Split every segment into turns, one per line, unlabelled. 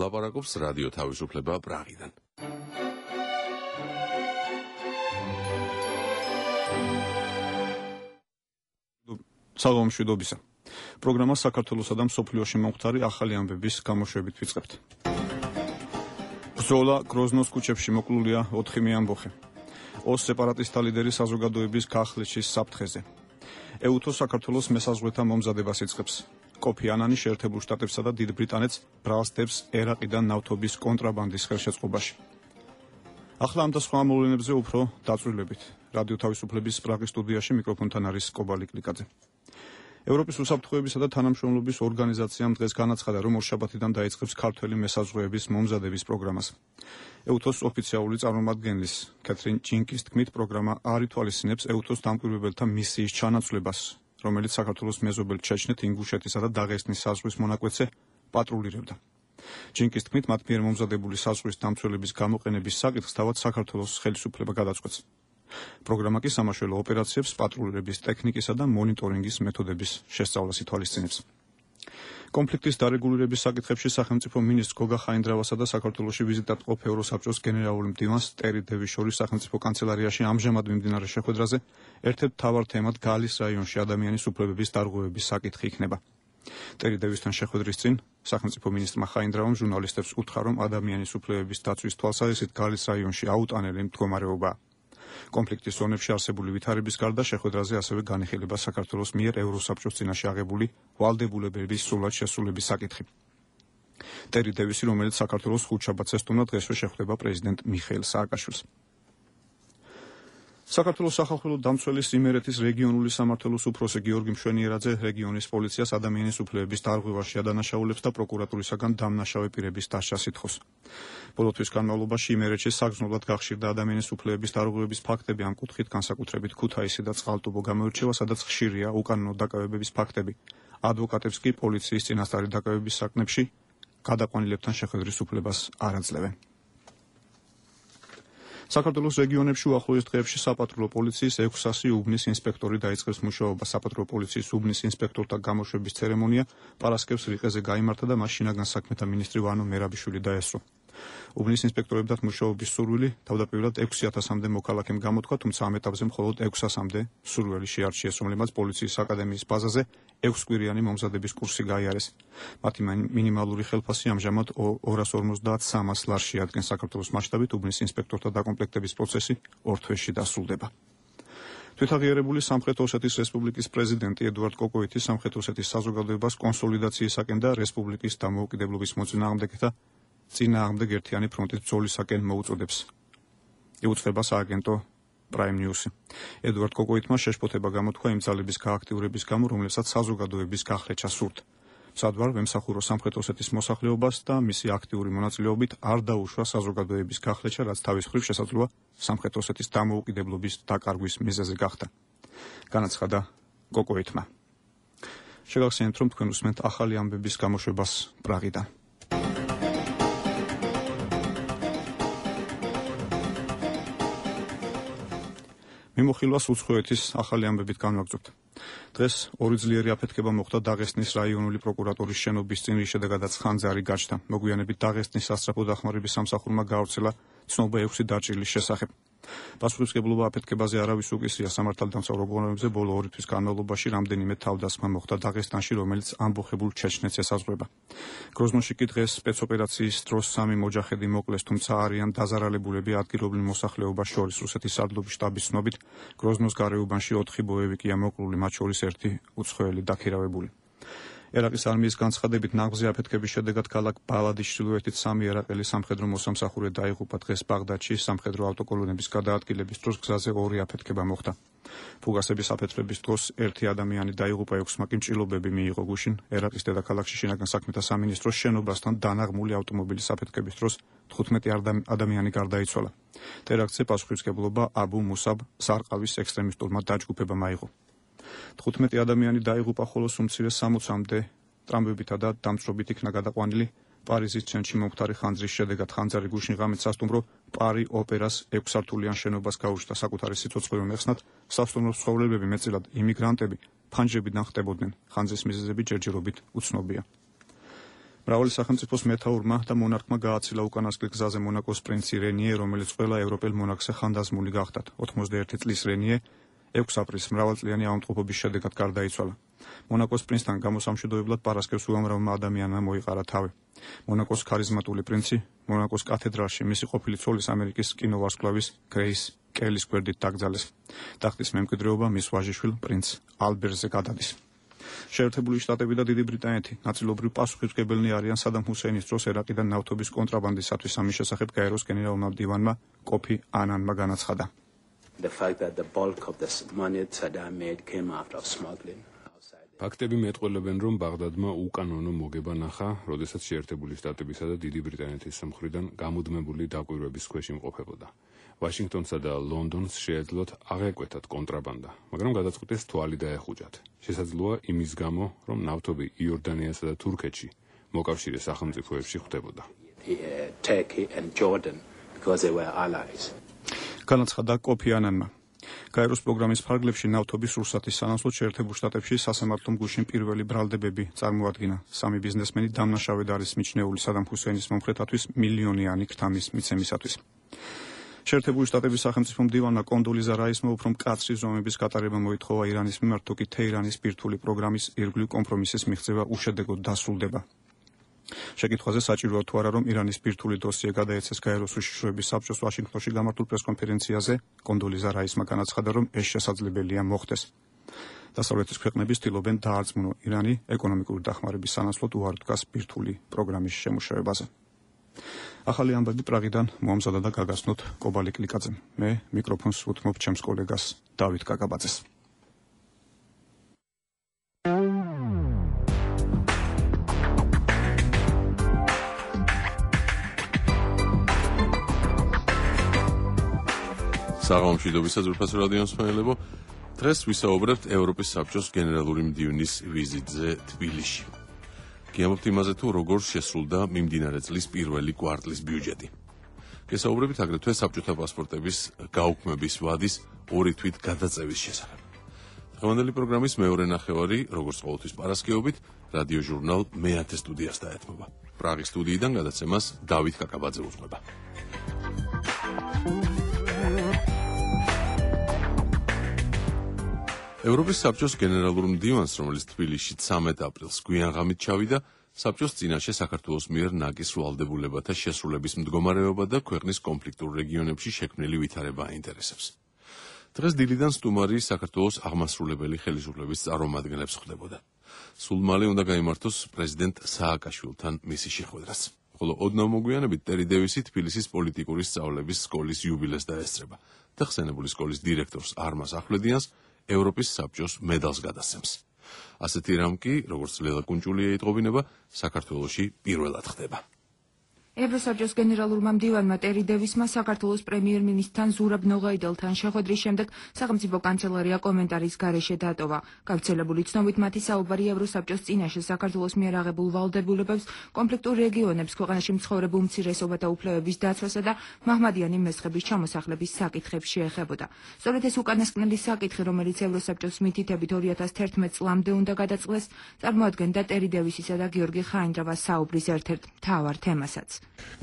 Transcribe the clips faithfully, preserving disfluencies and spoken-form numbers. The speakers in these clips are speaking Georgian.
ლაპარაკობს რადიო თავისუფლება პრაღიდან.
საღამომშვიდობისა. პროგრამა საქართველოსა და მსოფლიოში მომხდარი ახალი ამბების გამოშვებით ვიწყებთ. ბრძოლა გროზნოს ქუჩებში მოკლულია ოთხივე ამბოხი. ოს სეპარატისტთა ლიდერი საზოგადოების გახლეჩის საფრთხეზე. ეუთო საქართველოს მესაზღვრეთა მომზადებას იწყებს. კოფი ანანი შეერთებულ შტატებსა და დიდ ბრიტანეთს ბრალსდებს ერაყიდან ნავთობის კონტრაბანდის ხელშეწყობაში. ახლა ამ და სხვა მოვლენებზე უფრო დაწვრილებით. რადიო თავისუფლების პრაღის სტუდიაში მიკროფონთან არის კობალი კლიკაძე. ევროპის უსაფრთხოებისა და თანამშრომლობის ორგანიზაციამ დღეს განაცხადა, რომ ორშაბათიდან დაიწყებს ქართველი მესაზღვრეების მომზადების პროგრამას. ეუთოს ოფიციალური წარმომადგენლის კეთრინ ჯინკის თქმით, პროგრამა არ ითვალისწინებს ეუთოს დამკვირვებელთა მისიის ჩანაცვლებას, რომელიც საქართველოს მეზობელ ჩეჩნეთ, ინგუშეთისა და დაღესტნის საზღვრის მონაკვეთზე პატრულირებდა. ჯინკის თქმით, მათ მიერ მომზადებული საზღვრის დამცველების გამოყენების საკითხს თავად საქართველოს ხელისუფლება გადაწყვეტს. პროგრამა კი სამაშველო ოპერაციებს, პატრულირების ტექნიკისა და მონიტორინგის მეთოდების შესწავლას ითვალისწინებს. კონფლიქტის დარეგულირების საკითხებში სახელმწიფო მინისტრ გოგა ხაინდრავასა და საქართველოში ვიზიტად ყოფ ევროსაბჭოს გენერალური მდივანს ტერი დევის შორის სახელმწიფო კანცელარიაში ამჟამად მიმდინარე შეხვედრაზე ერთ-ერთ მთავარ თემად გალის რაიონში ადამიანის უფლებების დარღვევების საკითხი იქნება. ტერი დევისთან შეხვედრის წინ სახელმწიფო მინისტრმა ხაინდრავამ ჟურნალისტებს უთხრა, რომ ადამიანის უფლებების დაცვის თვალსაზრისით გალის რაიონში აუტანელი მდგომარეობაა. კონფლიქტის ზონებში არსებული ვითარების გარდა შეხვედრაზე ასევე განიხილება საქართველოს მიერ ევროსაბჭოს წინაშე აღებული ვალდებულებების სრულად შესრულების საკითხი. ტერი დევისი, რომელიც საქართველოს ხუთშაბათს ესტუმრა, დღესვე შეხვდება პრეზიდენტ მიხეილ სააკაშვილს. საქართველოს სახალხო დამცველის იმერეთის რეგიონული სამმართველოს უფროსი გიორგი მშვენიერაძე რეგიონის პოლიციას ადამიანის უფლებების დარღვევაში ადანაშაულებს და პროკურატურისაგან დამნაშავე პირების დასჯას ითხოვს. ბოლო თვის განმავლობაში იმერეთში საგრძნობლად გახშირდა ადამიანის უფლებების დარღვევების ფაქტები, ამ კუთხით განსაკუთრებით ქუთაისი და წყალტუბო გამოირჩევა, სადაც ხშირია უკანონო დაკავებების ფაქტები. ადვოკატებს კი პოლიციის წინასწარი დაკავების საკითხებში გადაყვანილებთან შეხვედრის უფლებას არ აძლევენ. საქართველოს რეგიონებში უახლოეს დღეებში საპატრულო პოლიციის ექვსასი უბნის ინსპექტორი დაიწყებს მუშაობას. საპატრულო პოლიციის უბნის ინსპექტორთა გამოშვების ცერემონია პარასკევს რიყეზე გაიმართა და მას შინაგან საქმეთა მინისტრი ვანო მერაბიშვილი დაესწრო. უბნის ინსპექტორებთან მუშაობის სურვილი თავდაპირველად ექვსი ათასამდე მოქალაქემ გამოთქვა, თუმცა ამ ეტაპზე მხოლოდ ექვს ასამდე სურვილი შეარჩიეს, რომლებმაც პოლიციის აკადემიის ბაზაზე ექვსკვირიანი მომზადების კურსი გაიარეს. მათი მინიმალური ხელფასი ამჟამად ორას ორმოცდაათს ლარს შეადგენს. საქართველოს მასშტაბით უბნის ინსპექტორთა დაკომპლექტების პროცესი ორ თვეში დასრულდება. თვითაღიარებული სამხრეთ ოსეთის რესპუბლიკის პრეზიდენტი ედუარდ კოკოიტი სამხრეთ ოსეთის საზოგადოებას კონსოლიდაციისაკენ და რესპუბლიკის დამოუკიდებლობის მოწინააღმდეგეთა წინააღმდეგ ერთიანი ფრონტის ბრძოლისაკენ მოუწოდებს. იუწყება სააგენტო Prime News. ედუარდ კოკოიტმა შეშფოთება გამოთქვა იმ ძალების გააქტიურების გამო, რომლებსაც საზოგადოების გახლეჩა სურთ. სადვარ ვემსახურო სამხრეთ ოსეთის მოსახლეობას და მისი აქტიური მონაწილეობით არ დაუშვა საზოგადოების გახლეჩა, რაც თავის მხრივ შესაძლოა სამხრეთ ოსეთის დამოუკიდებლობის დაკარგვის მიზეზი გახდა. განაცხადა კოკოიტმა. შეგახსენებთ, რომ თქვენ უსმენთ ახალი ამბების გამოშვებას პრაღიდან. მიმოხილვას უცხოეთის ახალი ამბებით განვაგრძობთ. დღეს ორი ძლიერი აფეთქება მოხდა დაღესტნის რაიონული პროკურატურის შენობის წინ, რის შედეგადაც ხანძარი გაჩნდა. მოგვიანებით დაღესტნის სასწრაფო დახმარების სამსახურმა გაავრცელა ცნობა ექვსი დაჭრილის შესახებ. პასუხისმგებლობა აფეთქებაზე არავის უკისრია. სამართალდამცავ ორგანოებზე ბოლო ორი თვის განმავლობაში რამდენიმე თავდასხმა მოხდა დაღესტანში, რომელიც ამბოხებულ ჩეჩნეთს ესაზღვრება. გროზნოში კი დღეს სპეცოპერაციის დროს სამი მოჯაჰედი მოკლეს, თუმცა არიან დაზარალებულები. ადგილობრივ მოსახლეობას შორის რუსეთის სარდლობის შტაბის ცნობით გროზნოს გარეუბანში ოთხი ბოევიკია მოკლული, მათ შორის ერთი უცხოელი დაქირავებული. ერაყის არმიის განცხადებით ნაღმზე აფეთქების შედეგად ქალაქ ბალადის ჩრდილოეთით სამი ერაყელი სამხედრო მოსამსახურე დაიღუპა. დღეს ბაღდადში სამხედრო ავტოკოლონების გადაადგილების დროს გზაზე ორი აფეთქება მოხდა. ფუგასების აფეთქების დროს ერთი ადამიანი დაიღუპა, ექვსმა კი მჭილობები მიიღო. გუშინ ერაყის დედაქალაქში შინაგან საქმეთა სამინისტროს შენობასთან დანაღმული ავტომობილის აფეთქების დროს თხუთმეტი ადამიანი გარდაიცვალა. ტერაქტზე პასუხისმგებლობა აბუ მუსაბ სარყავის ექსტრემისტულმა დაჯგუფებამ აიღო. თხუთმეტი ადამიანი დაიღუპა, ხოლო უმცირე სამოცამდე ტრამვებითა და დამწვრობით იქნა გადაყვანილი პარიზის ცენტრში მომხდარი ხანძრის შედეგად. ხანძარი გუშინ ღამით სასტუმრო პარი ოპერას ექვსსართულიან შენობას გაუჩნდა. საკუთარი სიცოცხლე მეხსნად სასტუმროს ცხოვრებები, მეტწილად იმიგრანტები, ფანჯრებიდან ხტებოდნენ. ხანძრის მიზეზები ჯერჯერობით უცნობია. მრავალი სახელმწიფოს მეთაურმა და მონარქმა გააცილა უკანასკნელ გზაზე მონაკოს პრინცი რენიე, რომელიც ყველა ევროპელ მონარქზე ხანდაზმული გახდათ. ოცდაერთი წლის რენიე ექვსი აპრილს მრავალწლიანი ავადმყოფობის შედეგად გარდაიცვალა. მონაკოს პრინცთან გამოსამშვიდობებლად პარასკევს უამრავმა ადამიანმა მოიყარა თავი. მონაკოს ქარიზმატული პრინცი მონაკოს კათედრალში მისი ყოფილი ცოლის ამერიკის კინოვარსკვლავის გრეის კელის გვერდით დაკრძალეს. ტახტის მემკვიდრეობა მის ვაჟიშვილ პრინც ალბერტზე გადადის. შეერთებული შტატები და დიდი ბრიტანეთი ნაწილობრივ პასუხისმგებელნი არიან სადამ ჰუსეინის დროს ერაყიდან ნავთობის კონტრაბანდისათვის. ამის შესახებ გაეროს გენერალურმა მდივანმა კოფი ანანმა განაცხადა.
ფაქტები მეტყველებენ, რომ ბაღდადმა უკანონო მოგება ნახა, როდესაც შეერთებული შტატებისა და დიდი ბრიტანეთის მხრიდან გამუდმებული დაკვირვების ქვეშ იმყოფებოდა. ვაშინგტონსა და ლონდონს შეეძლოთ აღეკვეთათ კონტრაბანდა, მაგრამ გადაწყვიტეს თვალი დაეხუჭათ. შესაძლოა იმის გამო, რომ ნავთობი იორდანიასა და თურქეთში მოკავშირე სახელმწიფოებში ხვდებოდა.
განაცხადა კოფი ანანმა. გაეროს პროგრამის ფარგლებში ნავთობის რუსეთის სანაცვლოდ შეერთებულ შტატებში სასამართლომ გუშინ პირველი ბრალდებები წარმოადგინა. სამი ბიზნესმენი დამნაშავედ არის მიჩნეული სადამ ჰუსეინის მომხრეთათვის მილიონიანი ქრთამის მიცემისათვის. შეერთებული შტატების სახელმწიფო მდივანმა კონდოლიზა რაისმა უფრო მკაცრი ზომების გატარება მოითხოვა ირანის მიმართ, თუკი თეირანის ბირთვული პროგრამის ირგვლივ კომპრომისის მიღწევა უშედეგოდ დასრულდება. შეკითხვაზე საჭიროა თუ არა, რომ ირანის ბირთვული დოსიე გადაეცეს გაეროს უშიშროების საბჭოს ვაშინგტონში გამართულ პრესკონფერენციაზე, კონდოლიზა რაისმა განაცხადა, რომ ეს შესაძლებელია მოხდეს. დასავლეთის ქვეყნები ცდილობენ დაარწმუნო ირანი ეკონომიკური დახმარების სანაცვლოდ უარ დგას ბირთვული პროგრამის შემუშავებაზე. ახალი ამბები პრაღიდან მოამზადა და გაგაცნოთ კობალი კლიკაძემ. მე მიკროფონს უთმობ ჩემს კოლეგას დავით კაკაბაძეს.
საღამომშვიდობისა ძვირფასო რადიო მსმენელებო, დღეს ვისაუბრებთ ევროპის საბჭოს გენერალური მდივნის ვიზიტზე თბილისში. გიამბობთ იმაზე, თუ როგორ შესრულდა მიმდინარე წლის პირველი კვარტლის ბიუჯეტი. გესაუბრებით აგრეთვე საბჭოთა პასპორტების გაუქმების ვადის ორი თვით გადაწევის შესახებ. დღევანდელი პროგრამის მეორე ნახევარი, როგორც ყოველთვის პარასკევობით, რადიო ჟურნალ მეათე სტუდიას დაეთმობა. პრაღის სტუდიიდან გადაცემას დავით კაკაბაძე უძღვება. ევროპის საბჭოს გენერალურ მდივანს, რომელიც თბილისში ცამეტ აპრილს გვიანღამით ჩავიდა, საბჭოს წინაშე საქართველოს მიერ ნაკის ვალდებულებათა შესრულების მდგომარეობა და ქვეყნის კონფლიქტურ რეგიონებში შექმნილი ვითარება აინტერესებს. დღეს დილიდან სტუმარი საქართველოს აღმასრულებელი ხელისუფლების წარმომადგენლებს ხვდებოდა. სულ მალე უნდა გაიმართოს პრეზიდენტ სააკაშვილთან მისი შეხვედრაც. ხოლო ოდნავ მოგვიანებით ტერი დევისი თბილისის პოლიტიკური სწავლების სკოლის იუბილეს დაესწრება და ხსენებული სკოლის დირექტორს არმაზ ახვლედიანს ევროპის საბჭოს მედალს გადასცემს. ასეთი რამ კი, როგორც ლელა კუნჭულია იტყობინება, საქართველოში პირველად ხდება.
ევროსაბჭოს გენერალურმა მდივანმა ტერი დევისმა საქართველოს პრემიერ-მინისტრთან ზურაბ ნოღაიდელთან შეხვედრის შემდეგ სახელმწიფო კანცელარია კომენტარის გარეშე დატოვა. გავრცელებული ცნობით მათი საუბარი ევროსაბჭოს წინაშე საქართველოს მიერ აღებულ ვალდებულებებს, კონფლიქტურ რეგიონებს, ქვეყანაში მცხოვრებ უმცირესობათა უფლებების დაცვასა და მაჰმადიანი მესხების ჩამოსახლების საკითხებს შეეხებოდა. სწორედ ეს უკანასკნელი საკითხი, რომელიც ევროსაბჭოს მითითებით ორი ათას თერთმეტ წლამდე უნდა გადაწყდეს, წარმოადგენდა ტერი დევისისა და გიორგი ხაინდრავას საუბრის ერთ-ერთ მთავარ თემასაც.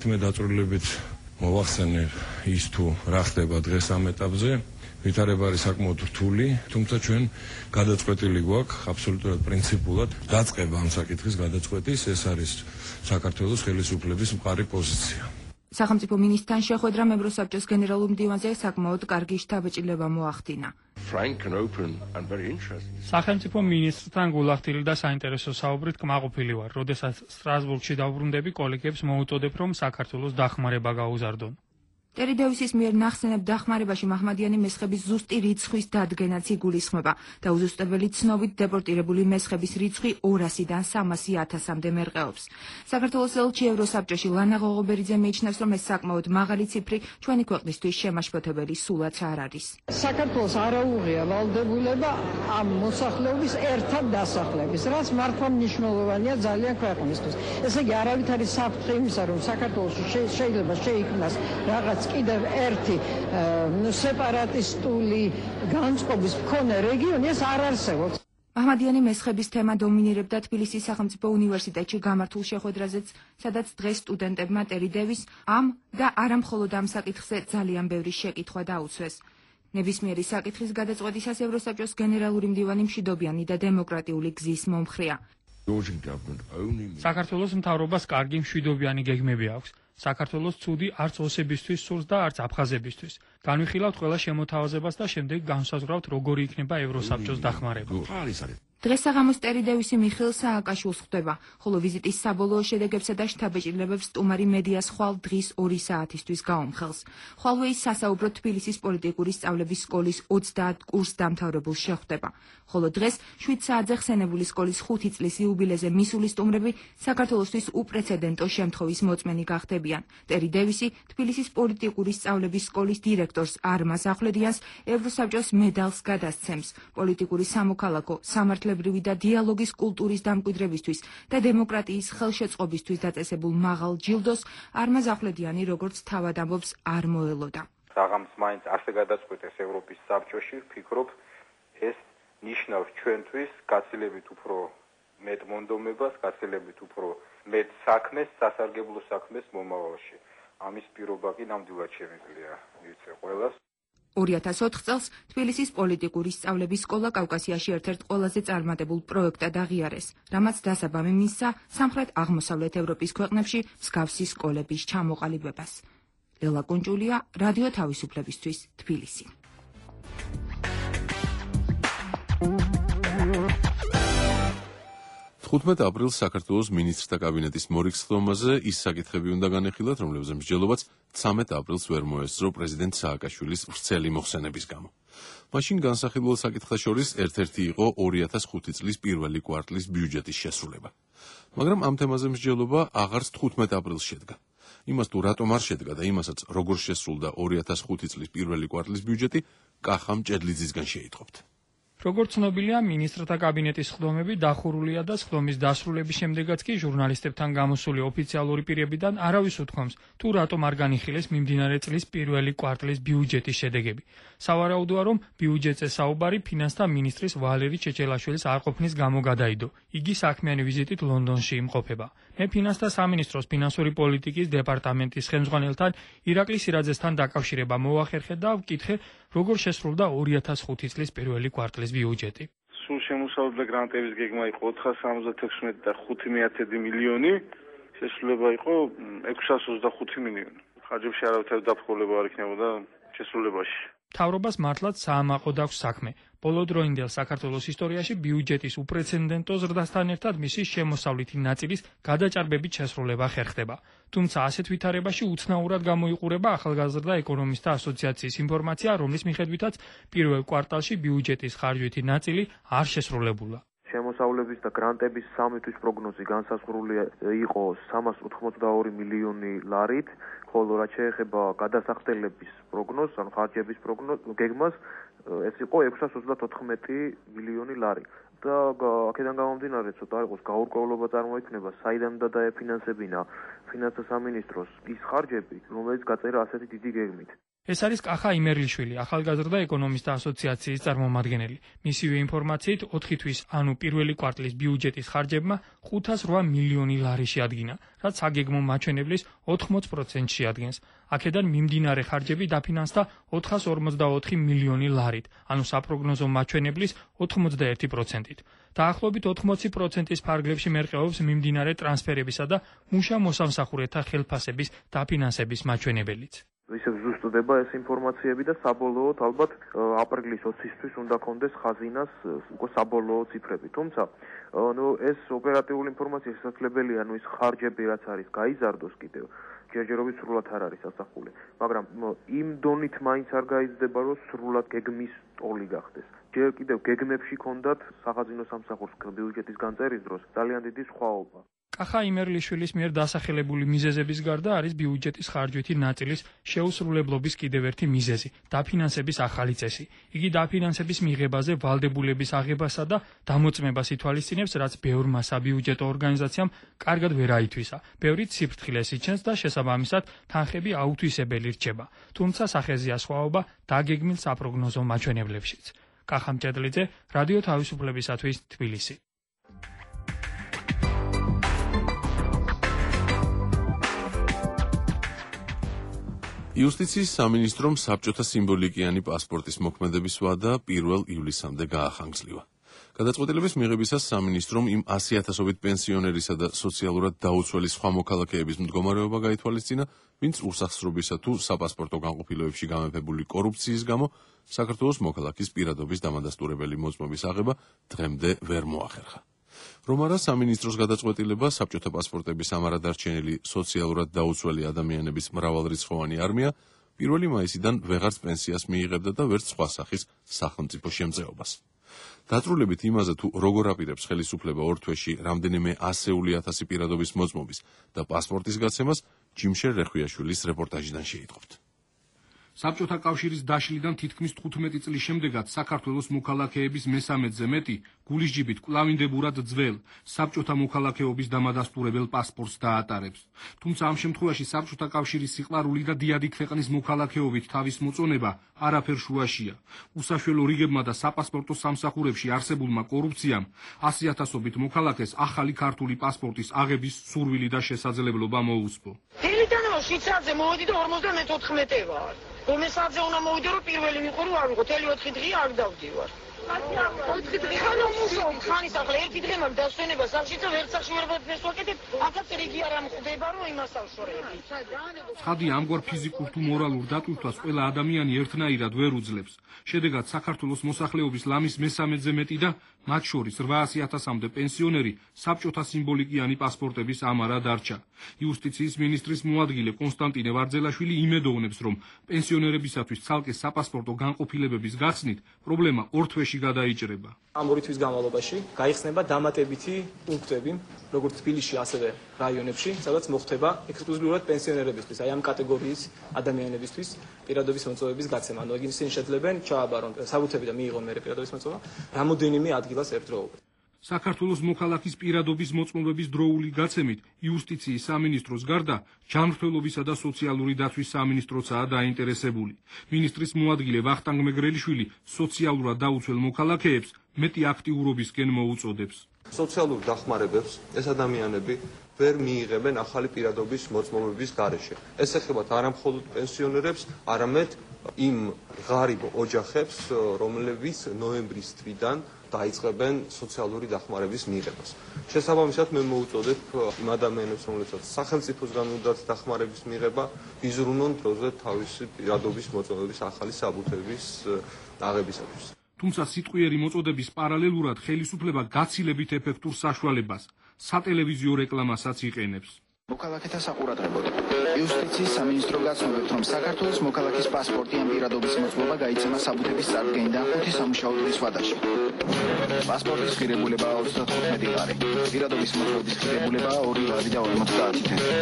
მე დაწვრილებით მოვახსენე ის თუ რა ხდება დღეს ამ ეტაპზე. ვითარება არის საკმაოდ რთული, თუმცა ჩვენ გადაწყვეტილი გვაქვს აბსოლუტურად პრინციპულად დაწყება ამ საკითხის გადაწყვეტის, ეს არის საქართველოს ხელისუფლების მყარი პოზიცია.
სახელმწიფო მინისტრთან შეხვედრამ ევროსაბჭოს გენერალურ მდივანზე საკმაოდ კარგი შთაბეჭდილება მოახდინა.
სახელმწიფო მინისტრთან გულახდილი და საინტერესო საუბრით კმაყოფილი ვარ, როდესაც სტრასბურგში დავბრუნდები, კოლეგებს მოუწოდებ, რომ საქართველოს დახმარება გაუზარდონ. ტერი დევისის მიერ ნახსენებ დახმარებაში მაჰმადიანი მესხების ზუსტი რიცხვის დადგენაც იგულისხმება და უზუსტებელი ცნობით დეპორტირებული მესხების რიცხვი ორასიდან სამასი ათასამდე მერყეობს. საქართველოს ელჩი ევროსაბჭოში ლანა ღოღობერიძე მიიჩნევს, რომ ეს საკმაოდ მაღალი ციფრი ჩვენი ქვეყნისთვის შემაშფოთებელი სულაც არ არის.
საქართველოს არაუღია ვალდებულება ამ მოსახლეობის ერთად დასახლების, რაც მართლა მნიშვნელოვანია ძალიან ქვეყნისთვის. ესე იგი, არავითარი საფრთხე იმისა, რომ საქართველოში შეიძლება შეიქმნას რაღაც კიდევ ერთი სეპარატისტული განწყობის მქონე რეგიონი, ეს არ არსებობს.
აჰმადიანი მესხების თემა დომინირებდა თბილისის სახელმწიფო უნივერსიტეტში გამართულ შეხვედრაზეც, სადაც დღეს სტუდენტებმა ტერი დევის ამ და არა მხოლოდ ამ საკითხზე ძალიან ბევრი შეკითხვა დაუცვეს. ნებისმიერი საკითხის გადაწყვეტისას ევროსაბჭოს გენერალური მდივანი მშვიდობიანი და დემოკრატიული გზის მომხრეა.
საქართველოს მთავრობას კარგი მშვიდობიანი გეგმები აქვს. საქართველოს ცუდი არც ოსებისთვის სურს და არც აფხაზებისთვის. განვიხილავთ ყველა შემოთავაზებას და შემდეგ განსაზღვრავთ როგორი იქნება ევროსაბჭოს დახმარება.
დღეს საღამოს ტერი დევისი მიხეილ სააკაშვილს ხვდება, ხოლო ვიზიტის საბოლოო შედეგებსა და შთაბეჭდილებებს სტუმარი მედიას ხვალ დღის ორი საათისთვის გაუმხელს. ხვალვე ის სასაუბროდ თბილისის პოლიტიკური სწავლების სკოლის ოცდაათ კურს დამთავრებულს შეხვდება. ხოლო დღეს შვიდ საათზე ხსენებული სკოლის ხუთი წლის იუბილეზე მისული სტუმრები საქართველოსთვის უპრეცედენტო შემთხვევის მოწმენი გახდებიან. ტერი დევისი თბილისის პოლიტიკური სწავლების სკოლის დირექტორს არმაზ ახვლედიანს ევროსაბჭოს მედალს გადასცემს. პოლიტიკური სამოქალაქო სამართლებრივი და დიალოგის კულტურის დამკვიდრებისთვის და დემოკრატიის ხელშეწყობისთვის დაწესებულ მაღალ ჯილდოს არმაზ ახვლედიანი როგორც თავად ამბობს არ მოელოდა.
საღამს მაინც ასე გადაწყვეტეს ევროპის საბჭოში, ვფიქრობ, ეს ნიშნავს ჩვენთვის გაცილებით უფრო მეტ მონდომებას, გაცილებით უფრო მეტ საქმეს, სასარგებლო საქმეს მომავალში. ამის პირობა კი ნამდვილად შემიძლია მივცე ყველას.
ორი ათას ოთხ წელს თბილისის პოლიტიკური სწავლების სკოლა კავკასიაში ერთ-ერთ ყველაზე წარმატებულ პროექტად აღიარეს, რამაც დასაბამი მისცა სამხრეთ აღმოსავლეთ ევროპის ქვეყნებში მსგავსი სკოლების ჩამოყალიბებას. ლელა კუნჭულია, რადიო თავისუფლებისთვის, თბილისი.
თხუთმეტ აპრილს საქართველოს მინისტრთა კაბინეტის მორიგსხდომაზე ის საკითხები უნდა განეხილათ, რომლებზეც მსჯელობაც ცამეტ აპრილს ვერ მოესწრო პრეზიდენტ სააკაშვილის ვრცელი მოხსენების გამო. მაშინ განსახილველ საკითხთა შორის ერთ-ერთი იყო ორი ათას ხუთი წლის პირველი კვარტლის ბიუჯეტის შესრულება. მაგრამ ამ თემაზე მსჯელობა აღარც თხუთმეტ აპრილს შედგა. იმას თუ რატომ არ შედგა და იმასაც როგორ შესრულდა ორი ათას ხუთი წლის პირველი კვარტლის ბიუჯეტი, კახამ ჭედლიძისგან შეიტყობთ.
როგორც ცნობილია, მინისტრთა კაბინეტის სხდომები დახურულია და სხდომის დასრულების შემდეგაც კი ჟურნალისტებთან გამოსული ოფიციალური პირებიდან არავის უთქვამს, თუ რატომ არ განიხილეს მიმდინარე წლის პირველი კვარტლის ბიუჯეტის შედეგები. სავარაუდოა, რომ ბიუჯეტზე საუბარი ფინანსთა მინისტრის ვალერი ჩეჩელაშვილის არყოფნის გამო გადაიდო. იგი საქმიანი ვიზიტით ლონდონში იმყოფება. მე ფინანსთა სამინისტროს ფინანსური პოლიტიკის დეპარტამენტის ხელმძღვანელთან ირაკლი სირაძესთან დაკავშირება მოვახერხე და ვკითხე, როგორ შესრულდა ორი ათას ხუთი წლის პირველი კვარტლის ბიუჯეტი.
სულ შემოსავლდა გრანტების გეგმა იყო ოთხას სამოცდათექვსმეტი და ხუთი მეათედი მილიონი, შესრულება იყო ექვსას ოცდახუთი მილიონი. ხარჯებში არავითარი დაფრთხილება არ იქნებოდა შესრულებაში.
მთავრობას მართლაც საამაყოდ აქვს საქმე. ბოლოდროინდელ საქართველოს ისტორიაში ბიუჯეტის უპრეცედენტო ზრდასთან ერთად მისი შემოსავლითი ნაწილის გადაჭარბებით შესრულება ხერხდება. თუმცა ასეთ ვითარებაში უცნაურად გამოიყურება ახალგაზრდა ეკონომისტთა ასოციაციის ინფორმაცია, რომლის მიხედვითაც პირველ კვარტალში ბიუჯეტის ხარჯვითი ნაწილი არ შესრულებულა.
შემოსავლების და გრანტების სამი თვის პროგნოზი განსაზღვრული იყო სამას ოთხმოცდაორი მილიონი ლარით, ხოლო რაც შეეხება გადასახდელების პროგნოზს, ანუ ხარჯების პროგნოზს, გეგმას, ეს იყო ექვსას ოცდათოთხმეტი მილიონი ლარი. და აქედან გამომდინარე, ცოტა არ იყოს გაურკვევლობა წარმოიქმნება, საიდან უნდა დაეფინანსებინა ფინანსთა სამინისტროს ის ხარჯები, რომელიც გაწერა ასეთი დიდი გეგმით.
ეს არის კახა იმერლიშვილი, ახალგაზრდა ეკონომისტთა ასოციაციის წარმომადგენელი. მისივე ინფორმაციით, ოთხი თვის, ანუ პირველი კვარტლის ბიუჯეტის ხარჯებმა ხუთას რვა მილიონი ლარი შეადგინა, რაც საგეგმო მაჩვენებლის ოთხმოც პროცენტს შეადგენს. აქედან მიმდინარე ხარჯები დაფინანსდა ოთხას ორმოცდაოთხი მილიონი ლარით, ანუ საპროგნოზო მაჩვენებლის ოთხმოცდაერთი პროცენტით. დაახლოებით ოთხმოცი პროცენტის ფარგლებში მერყეობს მიმდინარე ტრანსფერებისა და მუშა მოსამსახურეთა ხელფასების დაფინანსების მაჩვენებელიც.
ისევ ზუსტდება ეს ინფორმაციები და საბოლოოდ ალბათ აპრილის ოცისთვის უნდა კონდეს ხაზინას უკვე საბოლოო ციფრები. თუმცა, ნუ ეს ოპერატიული ინფორმაცია შესაძლებელია, ნუ ის ხარჯები რაც არის, გაიზარდოს კიდევ. ჯერჯერობით სრულად არ არის ასახული, მაგრამ იმ დონით მაინც არ გაიზრდება, რომ სრულად გეგმის ტოლი გახდეს. ჯერ კიდევ გეგმებში ქონდათ სახაზინო სამსახურს ბიუჯეტის განწერის დროს ძალიან დიდი სხვაობა.
კახა იმერლიშვილის მიერ დასახელებული მიზეზების გარდა არის ბიუჯეტის ხარჯვითი ნაწილის შეუსრულებლობის კიდევ ერთი მიზეზი, დაფინანსების ახალი წესი. იგი დაფინანსების მიღებაზე ვალდებულების აღებასა და დამოწმებას ითვალისწინებს, რაც ბევრმა საბიუჯეტო ორგანიზაციამ კარგად ვერ აითვისა. ბევრი ციფრთხილეს იჩენს და შესაბამისად თანხები აუთვისებელი რჩება. თუმცა სახეზეა სხვაობა დაგეგმილ საპროგნოზო მაჩვენებლებშიც. კახა მჭედლიძე, რადიო თავისუფლებისათვის თბილისი.
იუსტიციის სამინისტრომ საბჭოთა სიმბოლიკიანი პასპორტის მოქმედების ვადა პირველ ივლისამდე გაახანგრძლივა. გადაწყვეტილების მიღებისას სამინისტრომ იმ ასი ათასობით პენსიონერისა და სოციალურად დაუცველი სხვა მოქალაქეების მდგომარეობა გაითვალისწინა, ვინც უსახსრობისა თუ საპასპორტო განყოფილებებში გამეფებული კორუფციის გამო საქართველოს მოქალაქის პირადობის დამადასტურებელი მოწმობის აღება დღემდე ვერ მოახერხა. რომ არა სამინისტროს გადაწყვეტილება საბჭოთა პასპორტების ამარადარჩენილი სოციალურად დაუცველი ადამიანების მრავალრიცხოვანი არმია პირველი მაისიდან ვეღარც პენსიას მიიღებდა და ვერც სხვა სახის სახელმწიფო შემწეობას. დაწრულებით იმაზე თუ როგორ აპირებს ხელისუფლება ორ თვეში რამდენიმე ასეული ათასი პირადობის მოწმობის და პასპორტის გაცემას ჯიმშერ რეხვიაშვილის რეპორტაჟიდან შეიტყობთ.
საბჭოთა კავშირის დაშლიდან თითქმის თხუთმეტი წლის შემდეგაც საქართველოს მოქალაქეების მესამედზე მეტი გულისჯიბით კვლავინდებურად ძველ საბჭოთა მოქალაქეობის დამადასტურებელ პასპორტს დაატარებს. თუმცა ამ შემთხვევაში საბჭოთა კავშირის სიყვარული და დიადი ქვეყნის მოქალაქეობით თავის მოწონება არაფერ შუაშია. უსაშველო რიგებმა და საპასპორტო სამსახურებში არსებულმა კორუფციამ ასი ათასობით მოქალაქეს ახალი ქართული პასპორტის აღების სურვილი და შესაძლებლობა მოუწმო.
თელიტანო შვიცარზე მოვედი და ორმოცდამეთოთხმეტე ვარ. რომელსაც უნდა მოვიდე რომ პირველი ვიყო რომ არ ვიყო თელი ოთხი დღე არ დავდივარ. ოთხი დღე ხანო მუშაობ ხანის ახლა ერთი დღე მაგ დასვენება სახში და ვერც სახში ვერ ვაკეთებ აქაც რიგი არ ამხდება რომ იმას ავშორები.
ხადი ამგვარ ფიზიკურ თუ მორალურ დატვირთვას ყველა ადამიანი ერთნაირად ვერ უძლებს. შედეგად საქართველოს მოსახლეობის ლამის მესამედზე მეტი და მათ შორის რვაასი ათასამდე პენსიონერი საბჭოთა სიმბოლიკიანი პასპორტების ამარა დარჩა. იუსტიციის მინისტრის მოადგილე კონსტანტინე ვარძელაშვილი იმედოვნებს, რომ პენსიონერებისათვის ცალკე საპასპორტო განყოფილებების გახსნით პრობლემა ორ თვეში გადაიჭრება.
ამ ორი თვის განმავლობაში გაიხსნება დამატებითი პუნქტები, როგორც თბილისში, ასევე რაიონებში, სადაც მოხდება ექსკლუზიურად პენსიონერებისთვის, აი ამ კატეგორიის ადამიანებისთვის პირადობის მოწმობების გაცემა. ანუ ისინი შეძლებენ ჩააბარონ საბუთები და მიიღონ მერე პირადობის მოწმობა რამოდენიმე ადგილას ერთდროულად.
საქართველოს მოქალაქის პირადობის მოწმობების დროული გაცემით იუსტიციის სამინისტროს გარდა ჯანმრთელობისა და სოციალური დაცვის სამინისტროცაა დაინტერესებული. მინისტრის მოადგილე ვახტანგ მეგრელიშვილი სოციალურად დაუცველ მოქალაქეებს მეტი აქტიურობისკენ მოუწოდებს.
სოციალურ დახმარებებს ეს ადამიანები ვერ მიიღებენ ახალი პირადობის მოწმობების გარეშე. ეს ეხება არა მხოლოდ პენსიონერებს, არამედ იმ ღარიბ ოჯახებს, რომლებიც ნოემბრის თვიდან დაიწყებენ სოციალური დახმარების მიღებას. შესაბამისად მე მოუწოდებ იმ ადამიანებს, რომლებსაც სახელმწიფოსგან უნდათ დახმარების მიღება, იზრუნონ დროზე თავისი პირადობის მოწმობების ახალი საბუთების აღებისათვის.
თუმცა სიტყვიერი მოწოდების პარალელურად ხელისუფლება გაცილებით ეფექტურ საშუალებას სატელევიზიო რეკლამასაც იყენებს.
მოქალაქეთა საყურადღებოდ იუსტიციის სამინისტრო გაცნობებს, რომ საქართველოს მოქალაქის პასპორტი ან პირადობის მოწმობა გაიცემა საბუთების წარდგენიდან ხუთი სამუშაო დღის ვადაში. პასპორტის ღირებულებაა ოცდათხუთმეტი ლარი, პირადობის მოწმობის ღირებულებაა ორი ლარი და ორმოცდაათი თვე.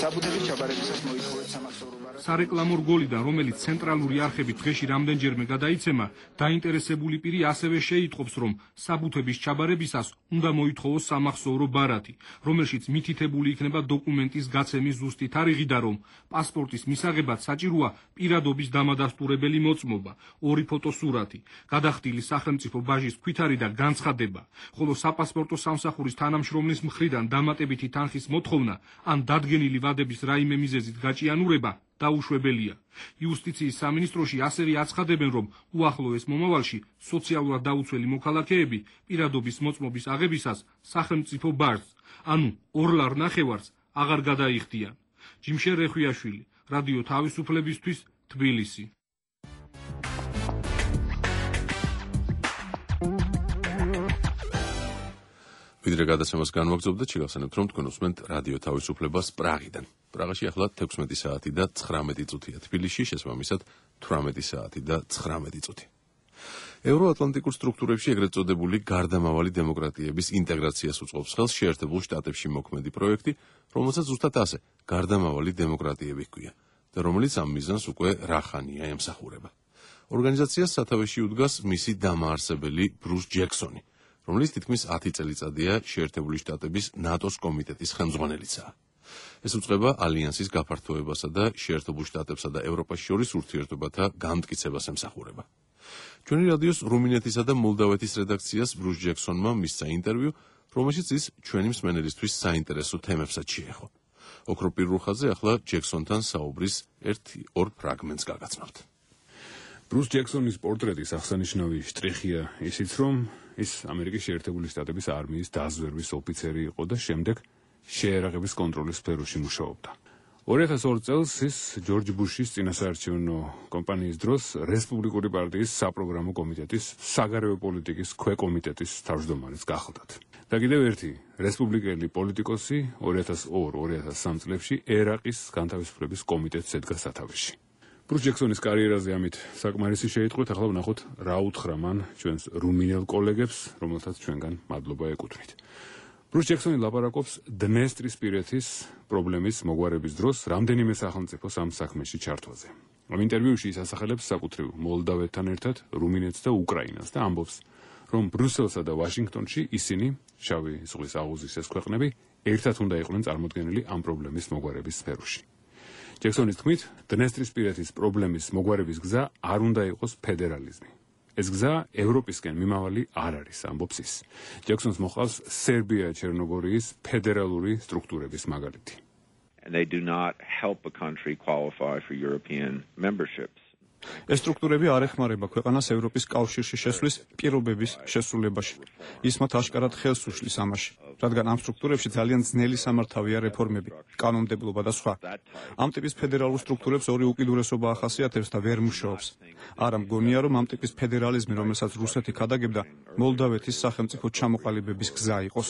საბუთების ჩაბარებისას მოითხოვეთ სამახსოვრო სარეკლამო რგოლიდან, რომელიც ცენტრალური არხები დღეში რამდენჯერმე გადაიცემა, დაინტერესებული პირი ასევე შეიტყობს, რომ საბუთების ჩაბარებისას უნდა მოითხოვოს სამახსოვრო ბარათი, რომელშიც მითითებული იქნება დოკუმენტის გაცემის ზუსტი თარიღი და რომ პასპორტის მისაღებად საჭიროა პირადობის დამადასტურებელი მოწმობა, ორი ფოტოსურათი, გადახდილი სახელმწიფო ბაჟის ქვითარი და განცხადება, ხოლო საპასპორტო სამსახურის თანამშრომლის მხრიდან დამატებითი თანხის მოთხოვნა ან დადგენილი ვადების რაიმე მიზეზით გაჭიანურება დაუშვებელია. იუსტიციის სამინისტროში ასევე აცხადებენ, რომ უახლოეს მომავალში სოციალურად დაუცველი მოქალაქეები პირადობის მოწმობის აღებისას სახელმწიფო ბაჟს, ანუ ორ ლარ ნახევარს აღარ გადაიხდიან. ჯიმშერ რეხვიაშვილი, რადიო თავისუფლებისთვის, თბილისი.
ვიდრე გადაცემას განვაგრძობთ, შეგახსენებთ, რომ თქვენ უსმენთ რადიო თავისუფლებას პრაღიდან. პრაღაში ახლა თექვსმეტი საათი და ცხრამეტი წუთია, თბილისში შესაბამისად თვრამეტი საათი და ცხრამეტი წუთი. ევროატლანტიკურ სტრუქტურებში ეგრეთ წოდებული გარდამავალი დემოკრატიების ინტეგრაციას უწყობს ხელს შეერთებულ შტატებში მოქმედი პროექტი, რომელსაც ზუსტად ასე გარდამავალი დემოკრატიები ჰქვია და რომელიც ამ მიზანს უკვე რახანია ემსახურება. ორგანიზაციას სათავეში უდგას მისი დამაარსებელი ბრუს ჯექსონი, რომელიც თითქმის ათი წელიწადია შეერთებული შტატების ნატოს კომიტეტის ხელმძღვანელიცაა. ეს უწყება ალიანსის გაფართოებასა და შეერთებულ შტატებსა და ევროპას შორის ურთიერთობათა განმტკიცებას ემსახურება. ჩვენი რადიოს რუმინეთისა და მოლდავეთის რედაქციას ბრუს ჯექსონმა მისცა ინტერვიუ, რომელშიც ის ჩვენი მსმენელისთვის საინტერესო თემებსაც შეეხო. ოქროპირ რუხაძე ახლა ჯექსონთან საუბრის ერთ-ორ ფრაგმენტს გაგაცნობთ.
ბრუს ჯექსონის პორტრეტის აღსანიშნავი შტრიხია ისიც, რომ ის ამერიკის შეერთებული შტატების არმიის დაზვერვის ოფიცერი იყო და შემდეგ შეერაღების კონტროლის სფეროში მუშაობდა. ორი ათას ორი წელს ის ჯორჯ ბუშის წინასაარჩევნო კამპანიის დროს რესპუბლიკური პარტიის საპროგრამო კომიტეტის საგარეო პოლიტიკის ქვეკომიტეტის თავმჯდომარეს გახლდათ. და კიდევ ერთი რესპუბლიკელი პოლიტიკოსი ორი ათას ორი ორი ათას სამი წლებში ერაყის განთავისუფლების კომიტეტს ედგა სათავეში. ბრუს ჯექსონის კარიერაზე ამით საკმარისი შეიტყვეთ, ახლა ვნახოთ რა უთხრა მან ჩვენს რუმინელ კოლეგებს, რომელთაც ჩვენგან მადლობა ეკუთვნით. ბრუს ჯექსონი ლაპარაკობს დნესტრისპირეთის პრობლემის მოგვარების დროს რამდენიმე სახელმწიფოს ამ საქმეში ჩართვაზე. ამ ინტერვიუში ის ასახელებს საკუთრივ მოლდავეთთან ერთად რუმინეთს და უკრაინას და ამბობს, რომ ბრიუსელსა და ვაშინგტონში ისინი, შავი ზღვის აღუზის ეს ქვეყნები, ერთად უნდა იყვნენ წარმოდგენილი ამ პრობლემის მოგვარების სფეროში. ჯექსონის თქმით, დნესტრისპირეთის პრობლემის მოგვარების გზა არ უნდა იყოს ფედერალიზმი. ეს გზა ევროპისკენ მიმავალი არ არის, ამბობს ის. ჯექსონს მოყავს სერბია ჩერნოგორიის ფედერალური სტრუქტურების მაგალითი.
And they do not help a country qualify for European memberships.
ეს სტრუქტურები არ ეხმარება ქვეყანას ევროპის კავშირში შესვლის პირობების შესრულებაში. ის მათ აშკარად ხელს უშლის ამაში, რადგან ამ სტრუქტურებში ძალიან ძნელი სამართავია რეფორმები, კანონმდებლობა და სხვა. ამ ტიპის ფედერალურ სტრუქტურებს ორი უკიდურესობა ახასიათებს და ვერ მუშაობს. არა მგონია, რომ ამ ტიპის ფედერალიზმი, რომელსაც რუსეთი ქადაგებდა, მოლდავეთის სახელმწიფო ჩამოყალიბების გზა იყოს.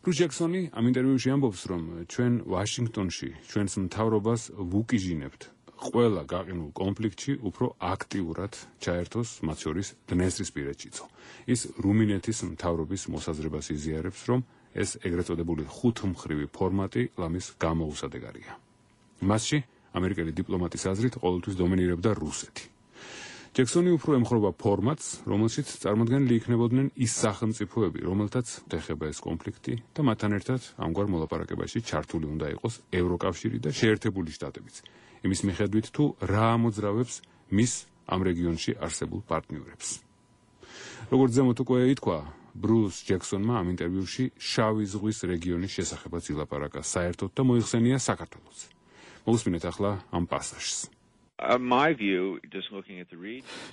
ბრუს ჯექსონი ამ ინტერვიუში ამბობს, რომ ჩვენ ვაშინგტონში ჩვენს მთავრობას ვუკიჟინებთ ყველა გაყინულ კონფლიქტში უფრო აქტიურად ჩაერთოს მათ შორის დნესტრისპირეთშიცო. ის რუმინეთის მთავრობის მოსაზრებას იზიარებს, რომ ეს ეგრეთ წოდებული ხუთმხრივი ფორმატი ლამის გამოუსადეგარია. მასში ამერიკელი დიპლომატის აზრით ყოველთვის დომინირებდა რუსეთი. ჯექსონი უფრო ემხრობა ფორმატს, რომელშიც წარმოდგენილი იქნებოდნენ ის სახელმწიფოები, რომელთაც ეხება ეს კონფლიქტი და მათთან ერთად ამგვარ მოლაპარაკებაში ჩართული უნდა იყოს ევროკავშირი და შეერთებული შტატებიც. იმის მიხედვით თუ რა ამოძრავებს მის ამ რეგიონში არსებულ პარტნიორებს. როგორც ზემოთ უკვე ითქვა, ბრუს ჯექსონმა ამ ინტერვიუში შავი ზღვის რეგიონის შესახებაც ილაპარაკა საერთოდ და მოიხსენია საქართველოს. მოვუსმინეთ ახლა ამ პასაჟს.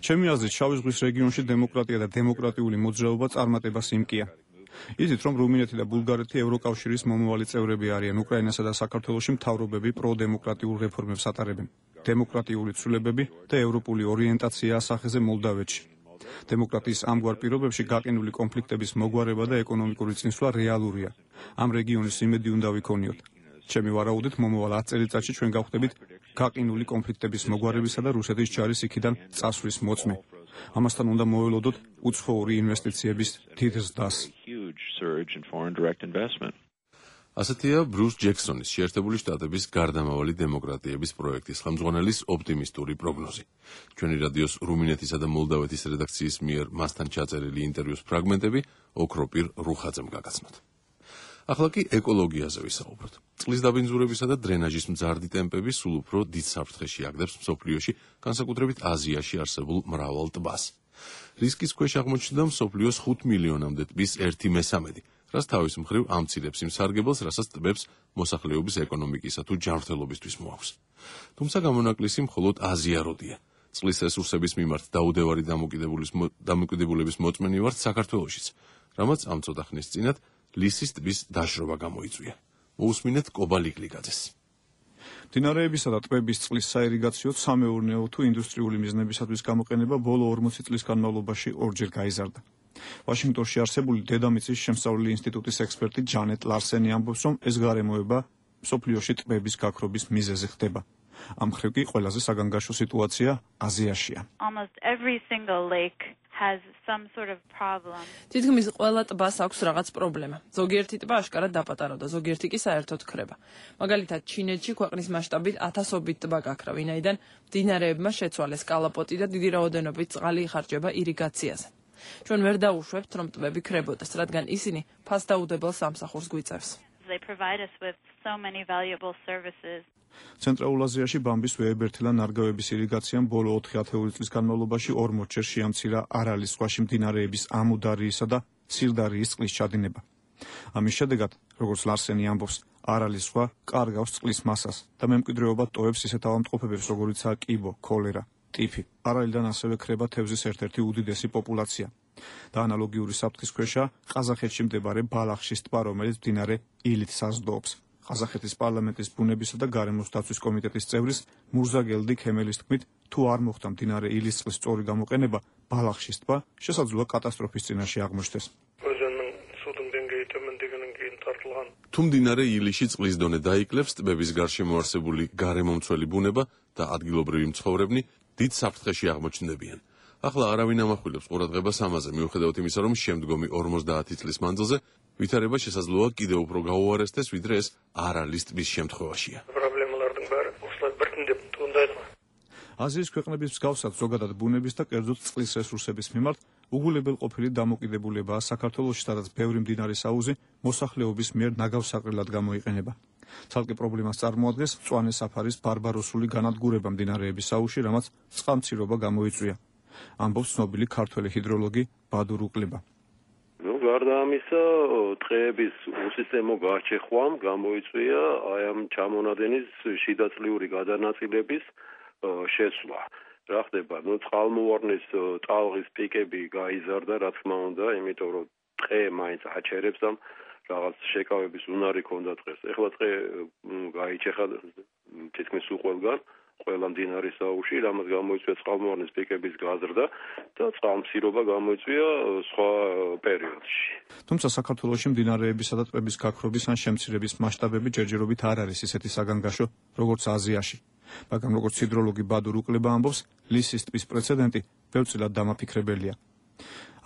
ჩემი აზრით, შავი ზღვის რეგიონში დემოკრატია და დემოკრატიული მოძრაობა წარმატებას იმკია. იცით, რომ რუმინეთი და ბულგარეთი ევროკავშირის მომავალი წევრები არიან, უკრაინასა და საქართველოში მთავრობები პროდემოკრატიულ რეფორმებს ატარებენ. დემოკრატიული ცვლილებები და ევროპული ორიენტაცია ასახეზე მოლდავეთში. დემოკრატიის ამგვარ პირობებში გაყინული კონფლიქტების მოგვარება და ეკონომიკური წინსვლა რეალურია. ამ რეგიონის იმედი უნდა ვიქონიოთ. ჩემი ვარაუდით, მომავალ ათ წელიწადში ჩვენ გავხდებით გაყინული კონფლიქტების მოგვარებისა და რუსეთის ჯარის იქიდან წასვლის მოწმე. ამასთან უნდა მოველოდოთ უცხოური ინვესტიციების დიდ ზრდას.
ასეთია ბრუს ჯექსონის შეერთებული შტატების გარდამავალი დემოკრატიების პროექტის ხელმძღვანელის ოპტიმისტური პროგნოზი. ჩვენი რადიოს რუმინეთისა და მოლდავეთის რედაქციის მიერ მასთან ჩაწერილი ინტერვიუს ფრაგმენტები ოქროპირ რუხაძემ გაგაცნოთ. ახლა კი ეკოლოგიაზე ვისაუბროთ. წყლის დაბინძურებისა და დრენაჟის მძარდი ტემპები სულ უფრო დიდ საფრთხეში აგდებს მსოფლიოში, განსაკუთრებით აზიაში არსებულ მრავალ ტბას. რისკის ქვეშ აღმოჩნდა მსოფლიოს ხუთ მილიონამდე ტბის ერთი მესამედი, რაც თავის მხრივ ამცირებს იმ სარგებელს, რასაც ტბებს მოსახლეობის ეკონომიკისა თუ ჯანმრთელობისთვის მოაქვს. თუმცა გამონაკლისი მხოლოდ აზია როდია. წყლის რესურსების მიმართ დაუდევარი დამოკიდებულების მოწმენი ვართ საქართველოშიც, რამაც ამ ცოტა ხნის წინათ ლისის ტბის დაშრობა გამოიწვია. მოусმინეთ კობა ლიკლიგაძეს.
მდინარეებისა და ტბების წყლის საირიგაციო, სამეურნეო თუ ინდუსტრიული მიზნებისათვის გამოყენება ბოლო ორმოცი წლის განმავლობაში ორჯერ გაიზარდა. ვაშინგტონში არსებული დედამიწის შემსწავლელი ინსტიტუტის ექსპერტი ჯანეტ ლარსენი ამბობს, რომ ეს გარემოება მსოფლიოში ტბების გაქრობის მიზეზი ხდება. ამ მხრივ კი ყველაზე საგანგაშო სიტუაცია აზიაშია.
თითქმის ყველა ტბას აქვს რაღაც პრობლემა. ზოგიერთი ტბა აშკარად დაპატარავდა, ზოგიერთი კი საერთოდ ქრება. მაგალითად, ჩინეთში ქვეყნის მასშტაბით ათასობით ტბა გაქრა, ვინაიდან მდინარეებმა შეცვალეს კალაპოტი და დიდი რაოდენობით წყალი იხარჯება ირიგაციაზე. ჩვენ ვერ დაუშვებთ, რომ ტბები ქრებოდეს, რადგან ისინი ფასდაუდებელ სამსახურს გვიწევს.
They provide us with so many valuable services.
ცენტრალურ აზიაში ბამბის ვეებერთილა ნარგავების ირიგაციამ ბოლო ოთხი ათეული წლის განმავლობაში ორმოც ჯერ შეამცირა არალის ზღვაში მდინარეების ამუდარიისა და სირდარიის წყლის ჩადინება. ამის შედეგად, როგორც ლარსენი ამბობს, არალის ზღვა კარგავს წყლის მასას და მემკვიდრეობად ტოვებს ისეთ ავადმყოფობებს, როგორიცაა კიბო, ქოლერა, ტიფი. არალიდან ასევე ქრება თევზის ერთ-ერთი უდიდესი პოპულაცია. და ანალოგიური საფრთხის ქვეშა ყაზახეთში მდებარე ბალახშის ტბა, რომელიც მდინარე ილით საზრდოობს. ყაზახეთის პარლამენტის ბუნებისა და გარემოს დაცვის კომიტეტის წევრის მურზაგელდი ქემელის თქმით, თუ არ მოხდა მდინარე ილის წყლის სწორი გამოყენება, ბალახშის ტბა შესაძლოა კატასტროფის წინაშე აღმოჩნდეს.
თუ მდინარე ილიში წყლის დონე დაიკლებს, ტბების გარშემო არსებული გარემომცველი ბუნება და ადგილობრივი მცხოვრებნი დიდ საფრთხეში აღმოჩნდებიან. ახლა არავინ ამახვილებს ყურადღებას ამაზე, მიუხედავად იმისა, რომ შემდგომი ორმოცდაათი წლის მანძილზე ვითარება შესაძლოა კიდევ უფრო გაუარესდეს, ვიდრე ეს არალის ტბის შემთხვევაშია.
აზიის ქვეყნების მსგავსად ზოგადად ბუნების და კერძოდ წყლის რესურსების მიმართ უგულებელყოფილი დამოკიდებულებაა საქართველოში, სადაც ბევრი მდინარის აუზი მოსახლეობის მიერ ნაგავსაყრელად გამოიყენება. ცალკე პრობლემას წარმოადგენს მწვანე საფარის ბარბაროსული განადგურება მდინარეების აუზში, რამაც წყალმცირობა გამოიწვია. ამბობს ცნობილი ქართველი ჰიდროლოგი ბადურ უკლება.
Ну, გარდა ამისა, ტყეების უსისტემო გარჩეხვამ გამოიწვია აი ამ ჩამონადენის შიდაწლიური გადანაწილების შესვლა. რა ხდება? Ну, წყალმოვარდნის ტალღის პიკები გაიზარდა, რა თქმა უნდა, იმიტომ რომ ტყე მაინც აჩერებს და რაღაც შეკავების უნარი ქონდა ტყეს. ეხლა ტყე გაიჩეხა თითქმის უყველგან, ყველა მდინარის აუზში, რამაც გამოიწვია წყალმოვარდნის პიკების გაზრდა და წყალმცირობა გამოიწვია სხვა პერიოდში.
თუმცა საქართველოში მდინარეებისა და ტბების გაქრობის ან შემცირების მასშტაბები ჯერჯერობით არ არის ისეთი საგანგაშო, როგორც აზიაში. მაგრამ როგორც ჰიდროლოგი ბადურ უკლება ამბობს, ლისის ტბის პრეცედენტი ბევრწილად დამაფიქრებელია.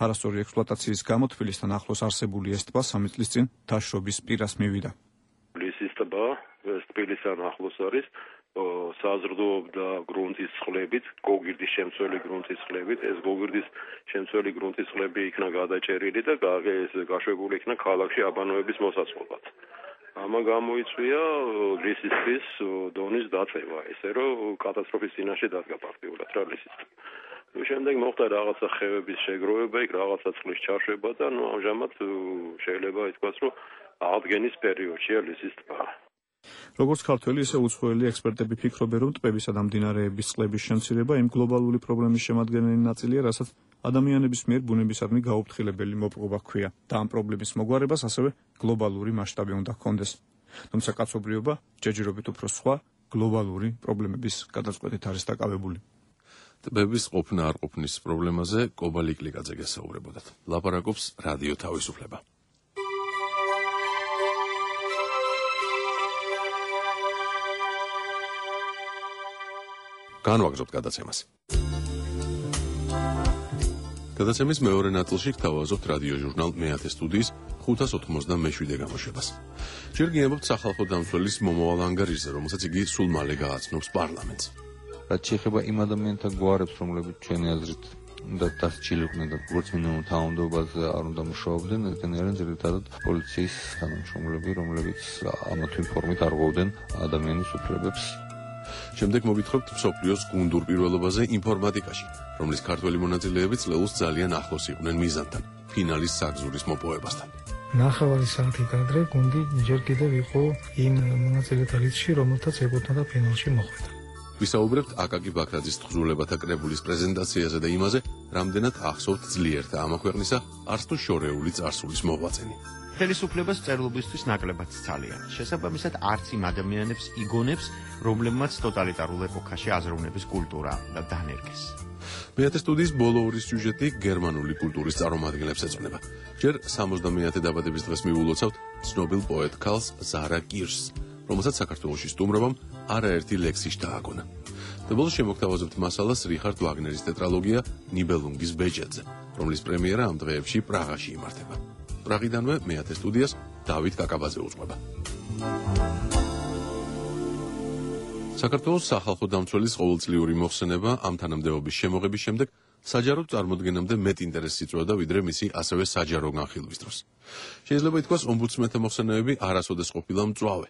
არასწორი ექსპლუატაციის გამო თბილისთან ახლოს არსებული ეს ტბა სამი წლის წინ დაშრობის პირას მივიდა.
ლისის ტბა თბილისთან ახლოს არის, საზრდოობდა გრუნტის წყლებით, გოგირდის შემცველი გრუნტის წყლებით. ეს გოგირდის შემცველი გრუნტის წყლები იქნა გადაჭერილი და გაშვებული იქნა ქალაქში აბანოების მოსაწყობად. ამა გამოიწვია ლისის ტბის დონის დაწევა, ესე რომ კატასტროფის წინაშე დადგა ფაქტიურად რა ლისის ტბა. შემდეგ მოხდა რაღაცა ხევების შეგროვება, იქ რაღაცა წყლის ჩაშვება და ნუ ამჟამად შეიძლება ითქვას, რომ აღდგენის პერიოდშია ლისის ტბა.
როგორც ქართველი, ისე უცხოელი ექსპერტები ფიქრობენ, რომ ტბებისა და მდინარეების წყლების შემცირება იმ გლობალური პრობლემის შემადგენელი ნაწილია, რასაც ადამიანების მიერ ბუნებისადმი გაუფრთხილებელი მოპყრობა ჰქვია და ამ პრობლემის მოგვარებას ასევე გლობალური მასშტაბი უნდა ჰქონდეს. თუმცა კაცობრიობა ჯერჯერობით უფრო სხვა გლობალური პრობლემების გადაწყვეტით არის დაკავებული.
ტბების ყოფნა არ ყოფნის პრობლემაზე კობალი კლიკაძე გესაუბრებოდათ. ლაპარაკობს რადიო თავისუფლება. განვაგრძობთ გადაცემას. გადაცემის მეორე ნაწილში გთავაზობთ რადიო ჟურნალ მეათე სტუდიის ხუთას ოთხმოცდამეშვიდე გამოშვებას. ჯერ გიამბობთ სახალხო დამცველის მომავალ ანგარიშზე, რომელსაც იგი სულ მალე გააცნობს პარლამენტს.
რაც შეეხება იმ ადამიანთა გვარებს, რომლებიც ჩვენი აზრით უნდა დასჯილიყვნენ და როგორც მინიმუმ თანამდებობაზე არ უნდა მუშაობდნენ, ესენი არიან ძირითადად პოლიციის თანამშრომლები, რომლებიც ამა თუ იმ ფორმით არღვევდნენ ადამიანის უფლებებს.
შემდეგ მოგითხრობთ მსოფლიოს გუნდურ პირველობაზე ინფორმატიკაში, რომლის ქართველი მონაწილეები წლეულს ძალიან ახლოს იყვნენ მიზანთან, ფინალის საგზურის მოპოვებასთან.
ნახევარი საათით ადრე გუნდი ჯერ კიდევ იყო იმ მონაწილეთა რიცხვში, რომელთაც ეკუთვნოდა ფინალში მოხვედა.
ვისაუბრებთ აკაკი ბაქრაძის თხზულებათა კრებულის პრეზენტაციაზე და იმაზე, რამდენად ახსოვთ ძლიერთა ამა ქვეყნისა არც თუ შორეული წარსულის მოღვაწენი.
ხელისუფლებას წერლობისთვის ნაკლებად ცალია. შესაბამისად, არც იმ ადამიანებს იგონებს, რომლებმაც ტოტალიტარულ ეპოქაში აზროვნების კულტურა დანერგეს.
მეათე სტუდიის ბოლო ორი სიუჟეტი გერმანული კულტურის წარმომადგენლებს ეძღვნება. ჯერ სამოცდამეათე დაბადების დღეს მივულოცავთ ცნობილ პოეტ ქალს ზარა კირშს, რომელსაც საქართველოში სტუმრობამ არაერთი ლექსი შთააგონა. და ბოლოს შემოგთავაზებთ მასალას რიხარდ ვაგნერის ტეტრალოგია ნიბელუნგის ბეჭედზე, რომლის პრემიერა ამ დღეებში პრაღაში იმართება. პრაღიდანვე მეათე სტუდიას დავით კაკაბაძე უძღვება. საქართველოს სახალხო დამცველის ყოველწლიური მოხსენება ამ თანამდებობის შემოღების შემდეგ საჯაროდ წარმოდგენამდე მეტ ინტერესს იწვევდა ვიდრე მისი ასევე საჯარო განხილვის დროს. შეიძლება ითქვას, ომბუდსმენთა მოხსენებები არასოდეს ყოფილა მწვავე.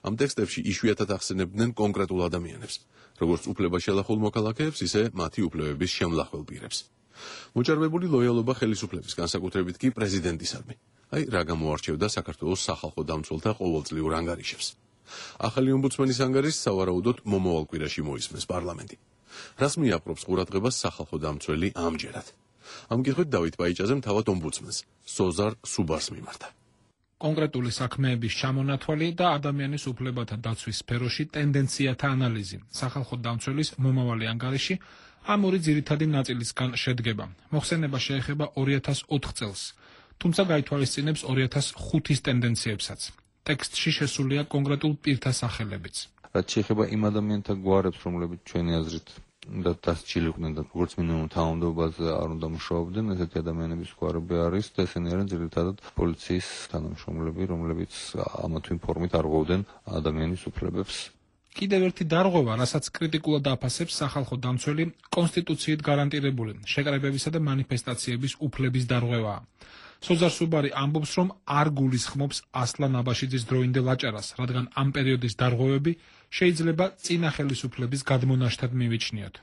ამ ტექსტებში იშვიათად ახსენებდნენ კონკრეტულ ადამიანებს, როგორც უფლებაშელახულ მოქალაქეებს, ისე მათი უფლებების შემლახველ პირებს. მოჭარბებული ლოიალობა ხელისუფლების, განსაკუთრებით კი პრეზიდენტისადმი. აი, რა გამოარჩევდა საქართველოს სახალხო დამცველთა ყოველწლიურ ანგარიშებს. ახალი ომბუდსმენის ანგარიშს სავარაუდოდ მომავალ კვირაში მოისმენს პარლამენტი. რას მიაპყრობს ყურადღებას სახალხო დამცველი ამჯერად? ამ კითხვით დავით ბაიჭაძემ თავად ომბუდსმენს სოზარ სუბარს მიმართა.
კონკრეტული საქმეების ჩამონათვალი და ადამიანის უფლებათა დაცვის სფეროში ტენდენციათა ანალიზი. სახალხო დამცველის მომავალი ანგარიში ამ ორი ძირითადი ნაწილისგან შედგება. მოხსენება შეეხება ორი ათას ოთხ წელს, თუმცა გაითვალისწინებს ორი ათას ხუთის ტენდენციებსაც. ტექსტში შესულია კონკრეტულ პირთა სახელებიც.
რაც შეეხება იმ ადამიანთა გვარებს, რომლებიც ჩვენი აზრით და დასჯილიყვნენ და როგორც მინიმუმ თანამდებობაზე არ უნდა მუშაობდნენ, ესეთი ადამიანების გვარები არის და ესენი არიან ძირითადად პოლიციის თანამშრომლები, რომლებიც ამა თუ იმ ფორმით არღვევდნენ ადამიანის უფლებებს.
კიდევ ერთი დარღვევა, რასაც კრიტიკულად აფასებს სახალხო დამცველი, კონსტიტუციით გარანტირებული შეკრებებისა და მანიფესტაციების უფლების დარღვევაა. სოზარ სუბარი ამბობს, რომ არ გულისხმობს ასლან აბაშიძის დროინდელ აჭარას, რადგან ამ პერიოდის დარღვევები შეიძლება წინა ხელისუფლების გადმონაშთად მივიჩნიოთ.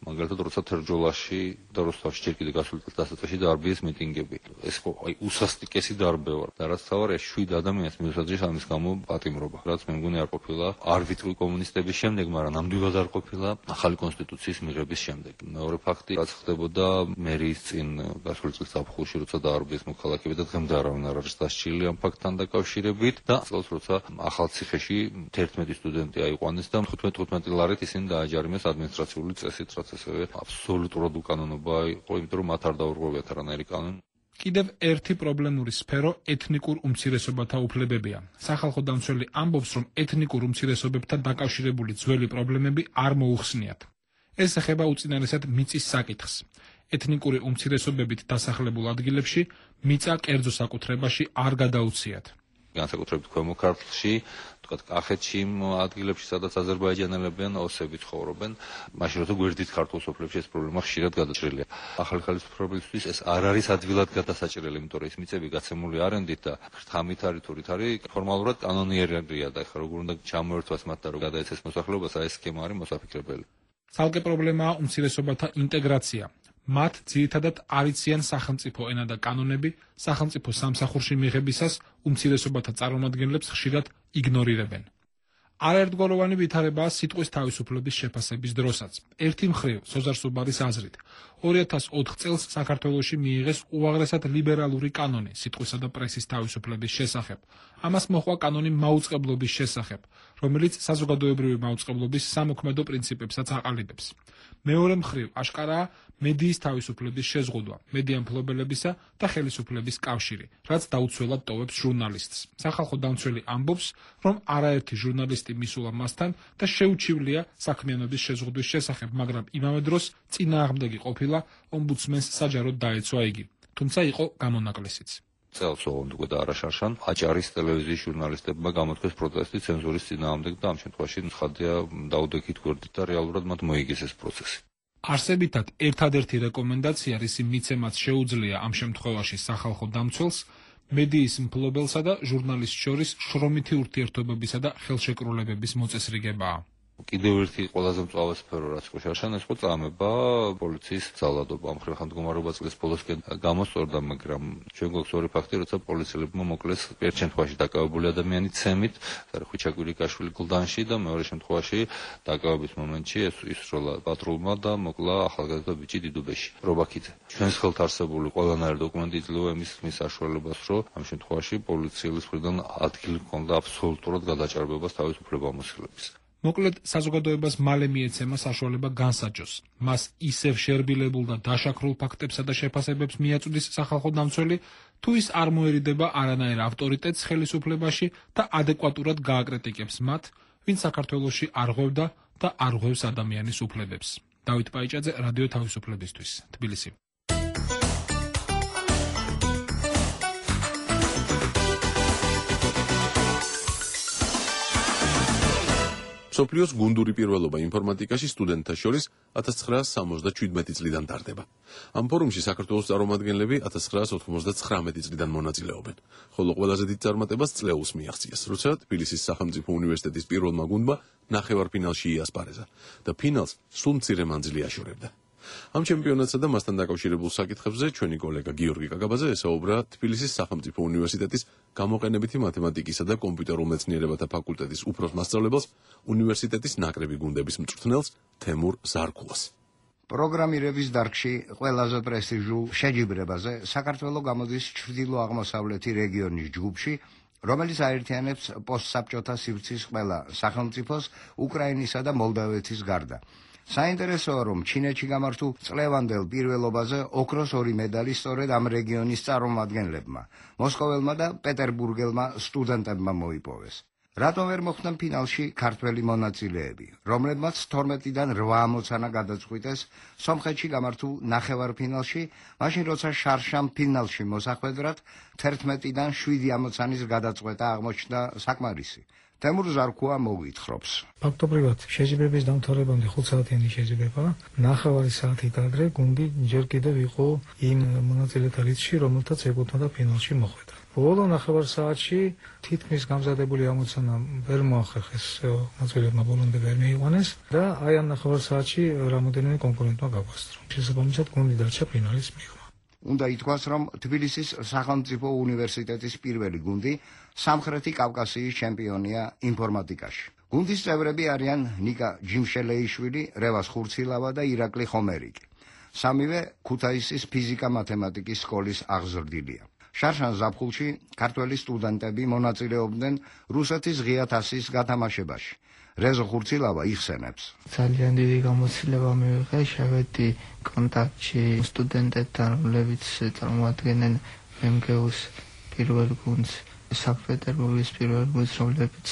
მაგალითად, როცა თერჯოლაში და როსტოვში ჯერ კიდევ გასულ წელს დასაწყისში დაარბიეს მიტინგები. ეს ხო აი უსასტიკესი დარბევა და რაც თავარია შვიდ ადამიანს მიუსაჯეს ამის გამო პატიმრობა. რაც მე მგონი არ ყოფილა არბიტრი კომუნისტების შემდეგ, მაგრამ ნამდვილად არ ყოფილა ახალი კონსტიტუციის მიღების შემდეგ. მეორე ფაქტი, რაც ხდებოდა მერიის წინ გასულ წელს ზაფხულში, როცა დაარბიეს მოქალაქეები და დღემდე არავინ არ არის დასჯილი ამ ფაქტთან დაკავშირებით და წელს როცა ახალციხეში თერთმეტი სტუდენტი აიყვანეს და თხუთმეტ თხუთმეტი ლარით ისინი დააჯარიმეს ადმინისტრაციული წესით, რაც ასევე აბსოლუტურად უკანონობა იყო, იმიტომ რომ მათ არ დაურღვევიათ არანაირი კანონი.
კიდევ ერთი პრობლემური სფერო ეთნიკურ უმცირესობათა უფლებებია. სახალხო დამცველი ამბობს, რომ ეთნიკურ უმცირესობებთან დაკავშირებული ძველი პრობლემები არ მოუხსნიათ. ეს ეხება უწინარესად მიწის საკითხს. ეთნიკური უმცირესობებით დასახლებულ ადგილებში მიწა კერძო საკუთრებაში არ გადაუციათ.
განსაკუთრებით ქვემო ქართლში, თქვათ კახეთში, ადგილებში, სადაც აზერბაიჯანელები ან ოსები ცხოვრობენ, მაშინ როცა გვერდით ქართულ სოფლებში ეს პრობლემა ხშირად გადაჭრილია. ახალი ხელისუფლებისთვის ეს არ არის ადვილად გადასაჭრელი, იმიტომ რომ ეს მიწები გაცემული არენდით და ხრთამით არის თუ რით არის, ფორმალურად კანონიერია და ეხლა როგორ უნდა ჩამოერთვას მათ და რომ გადაეცეს მოსახლეობას, აი ეს სქემა არის მოსაფიქრებელი.
ცალკე პრობლემაა უმცირესობათა ინტეგრაცია. მათ ძირითადად არ იციან სახელმწიფო ენა და კანონები, სახელმწიფო სამსახურში მიღებისას უმცირესობათა წარმომადგენლებს ხშირად იგნორირებენ. არაერთგვაროვანი ვითარებაა სიტყვის თავისუფლების შეფასების დროსაც. ერთი მხრივ, სოზარ სუბარის აზრით, ორი ათას ოთხ წელს საქართველოში მიიღეს უაღრესად ლიბერალური კანონი სიტყვისა და პრესის თავისუფლების შესახებ. ამას მოჰყვა კანონი მაუწყებლობის შესახებ, რომელიც საზოგადოებრივი მაუწყებლობის სამოქმედო პრინციპებსაც აყალიბებს. მეორე მხრივ, აშკარაა მედიის თავისუფლების შეზღუდვა, მედია მფლობელებისა და ხელისუფლების კავშირი, რაც დაუცველად ტოვებს ჟურნალისტს. სახალხო დამცველი ამბობს, რომ არაერთი ჟურნალისტი მისულა მასთან და შეუჩივლია საქმიანობის შეზღუდვის შესახებ, მაგრამ იმავე დროს წინააღმდეგი ყოფილა ომბუდსმენს საჯაროდ დაეცვა იგი, თუმცა იყო გამონაკლისიც.
წელს ოღონდ უკვე და არაშარშან აჭარის ტელევიზიის ჟურნალისტებმა გამოთქვეს პროტესტი ცენზურის წინააღმდეგ და ამ შემთხვევაში ცხადია დაუდექით გვერდით და რეალურად მათ მოიგეს ეს პროცესი.
არსებითად ერთადერთი რეკომენდაცია, რისი მიცემაც შეუძლია ამ შემთხვევაში სახალხო დამცველს, მედიის მფლობელსა და ჟურნალისტ შორის შრომითი ურთიერთობებისა და ხელშეკრულებების მოწესრიგებაა.
კიდევ ერთი ყველაზე მწვავე სფერო, რაც იყო შარშან, ეს იყო წამება პოლიციის ძალადობა. ამ მხრივ ხანგრძლივობა წლის ბოლოსკენ გამოსწორდა, მაგრამ ჩვენ გვაქვს ორი ფაქტი, როცა პოლიციელებმა მოკლეს ერთ შემთხვევაში დაკავებული ადამიანი ცემით, ხვიჩა კვირიკაშვილი გლდანში და მეორე შემთხვევაში დაკავების მომენტში ეს ისროლა პატრულმა და მოკლა ახალგაზრდა ბიჭი დიდუბეში, რობაქიძე. ჩვენს ხელთ არსებული ყველანაირი დოკუმენტი იძლევა იმის ხმის საშუალებას, რომ ამ შემთხვევაში პოლიციელის მხრიდან ადგილი ჰქონდა აბსოლუტურად გადაჭარბებას თავისუფლებამოსილების.
მოკლედ, საზოგადოებას მალე მიეცემა საშუალება განსაჯოს. მას ისევ შერბილებულ და დაშაქრულ ფაქტებსა და შეფასებებს მიაწვდის სახალხო დამცველი, თუ ის არ მოერიდება არანაირ ავტორიტეტს ხელისუფლებაში და ადეკვატურად გააკრიტიკებს მათ, ვინც საქართველოში არღვევდა და არღვევს ადამიანის უფლებებს. დავით პაიჭაძე, რადიო თავისუფლებისთვის, თბილისი.
მსოფლიოს გუნდური პირველობა ინფორმატიკაში სტუდენტთა შორის ათას ცხრაასი სამოცდაშვიდმეტი წლიდან ტარდება. ამ ფორუმში საქართველოს წარმომადგენლები ათას ცხრაასი ოთხმოცდათხრამეტი წლიდან მონაწილეობენ, ხოლო ყველაზე დიდ წარმატებას წლეულს მიაღწიეს, როცა თბილისის სახელმწიფო უნივერსიტეტის პირველმა გუნდმა ნახევარფინალში იასპარეზა და ფინალს სულ მცირე მანძილი აშორებდა. ამ ჩემპიონატსა და მასთან დაკავშირებულ საკითხებზე ჩვენი კოლეგა გიორგი კაკაბაძე ესაუბრა თბილისის სახელმწიფო უნივერსიტეტის გამოყენებითი მათემატიკისა და კომპიუტერულ მეცნიერებათა ფაკულტეტის უფროს მასწავლებელს, უნივერსიტეტის ნაკრები გუნდების მწვრთნელს თემურ ზარქულას.
პროგრამირების დარგში ყველაზე პრესტიჟულ შეჯიბრებაზე საქართველოს გამოდის ჩრდილო-აღმოსავლეთი რეგიონის ჯგუფში, რომელიც აერთიანებს პოსტსაბჭოთა სივრცის ყველა სახელმწიფოს, უკრაინისა და მოლდავეთის გარდა. საინტერესოა, რომ ჩინეთში გამართულ წლევანდელ პირველობაზე ოქროს ორი მედალი სწორედ ამ რეგიონის წარმომადგენლებმა, მოსკოველმა და პეტერბურგელმა სტუდენტებმა მოიპოვეს. რატომ ვერ მოხვდნენ ფინალში ქართველი მონაწილეები, რომლებმაც თორმეტიდან რვა ამოცანა გადაწყვიტეს სომხეთში გამართულ ნახევარფინალში, მაშინ როცა შარშამ ფინალში მოსახვედრად თერთმეტიდან შვიდი ამოცანის გადაწყვეტა აღმოჩნდა საკმარისი. თემურ ზარქუა მოგვითხრობს.
ფაქტობრივად შეჯიბრების დამთავრებამდე ხუთ საათიანი შეჯიბრება, ნახევარი საათით ადრე გუნდი ჯერ კიდევ იყო იმ მონაწილეთა რიცხვში, რომელთაც ეკუთვნოდა ფინალში მოხვედრა. ბოლო ნახევარ საათში თითქმის გამზადებული ამოცანა ვერ მოახერხეს მონაწილეებმა, ბოლომდე ვერ მიიყვანეს და აი ამ ნახევარ საათში რამოდენიმე კონკურენტმა გაგვასწრო. შესაბამისად გუნდი დარჩა ფინალის მიღმა.
უნდა ითქვას, რომ თბილისის სახელმწიფო უნივერსიტეტის პირველი გუნდი სამხრეთი კავკასიის ჩემპიონია ინფორმატიკაში. გუნდის წევრები არიან ნიკა ჯიმშელეიშვილი, რევას ხურცილავა და ირაკლი ხომერიკი. სამივე ქუთაისის ფიზიკა-მათემატიკის სკოლის აღზრდილია. შარშან ზაფხულში ქართველი სტუდენტები მონაწილეობდნენ რუსეთის ღია თასის გათამაშებაში. რეზო ხურცილავა იხსენებს.
ძალიან დიდი გამოცდილება მივიღე, შევედი კონტაქტში სტუდენტებთან, რომლებიც წარმოადგენენ მემგეუს პირველ გუნდს, სანქტ-პეტერბურგის პირველ გუნდს, რომლებიც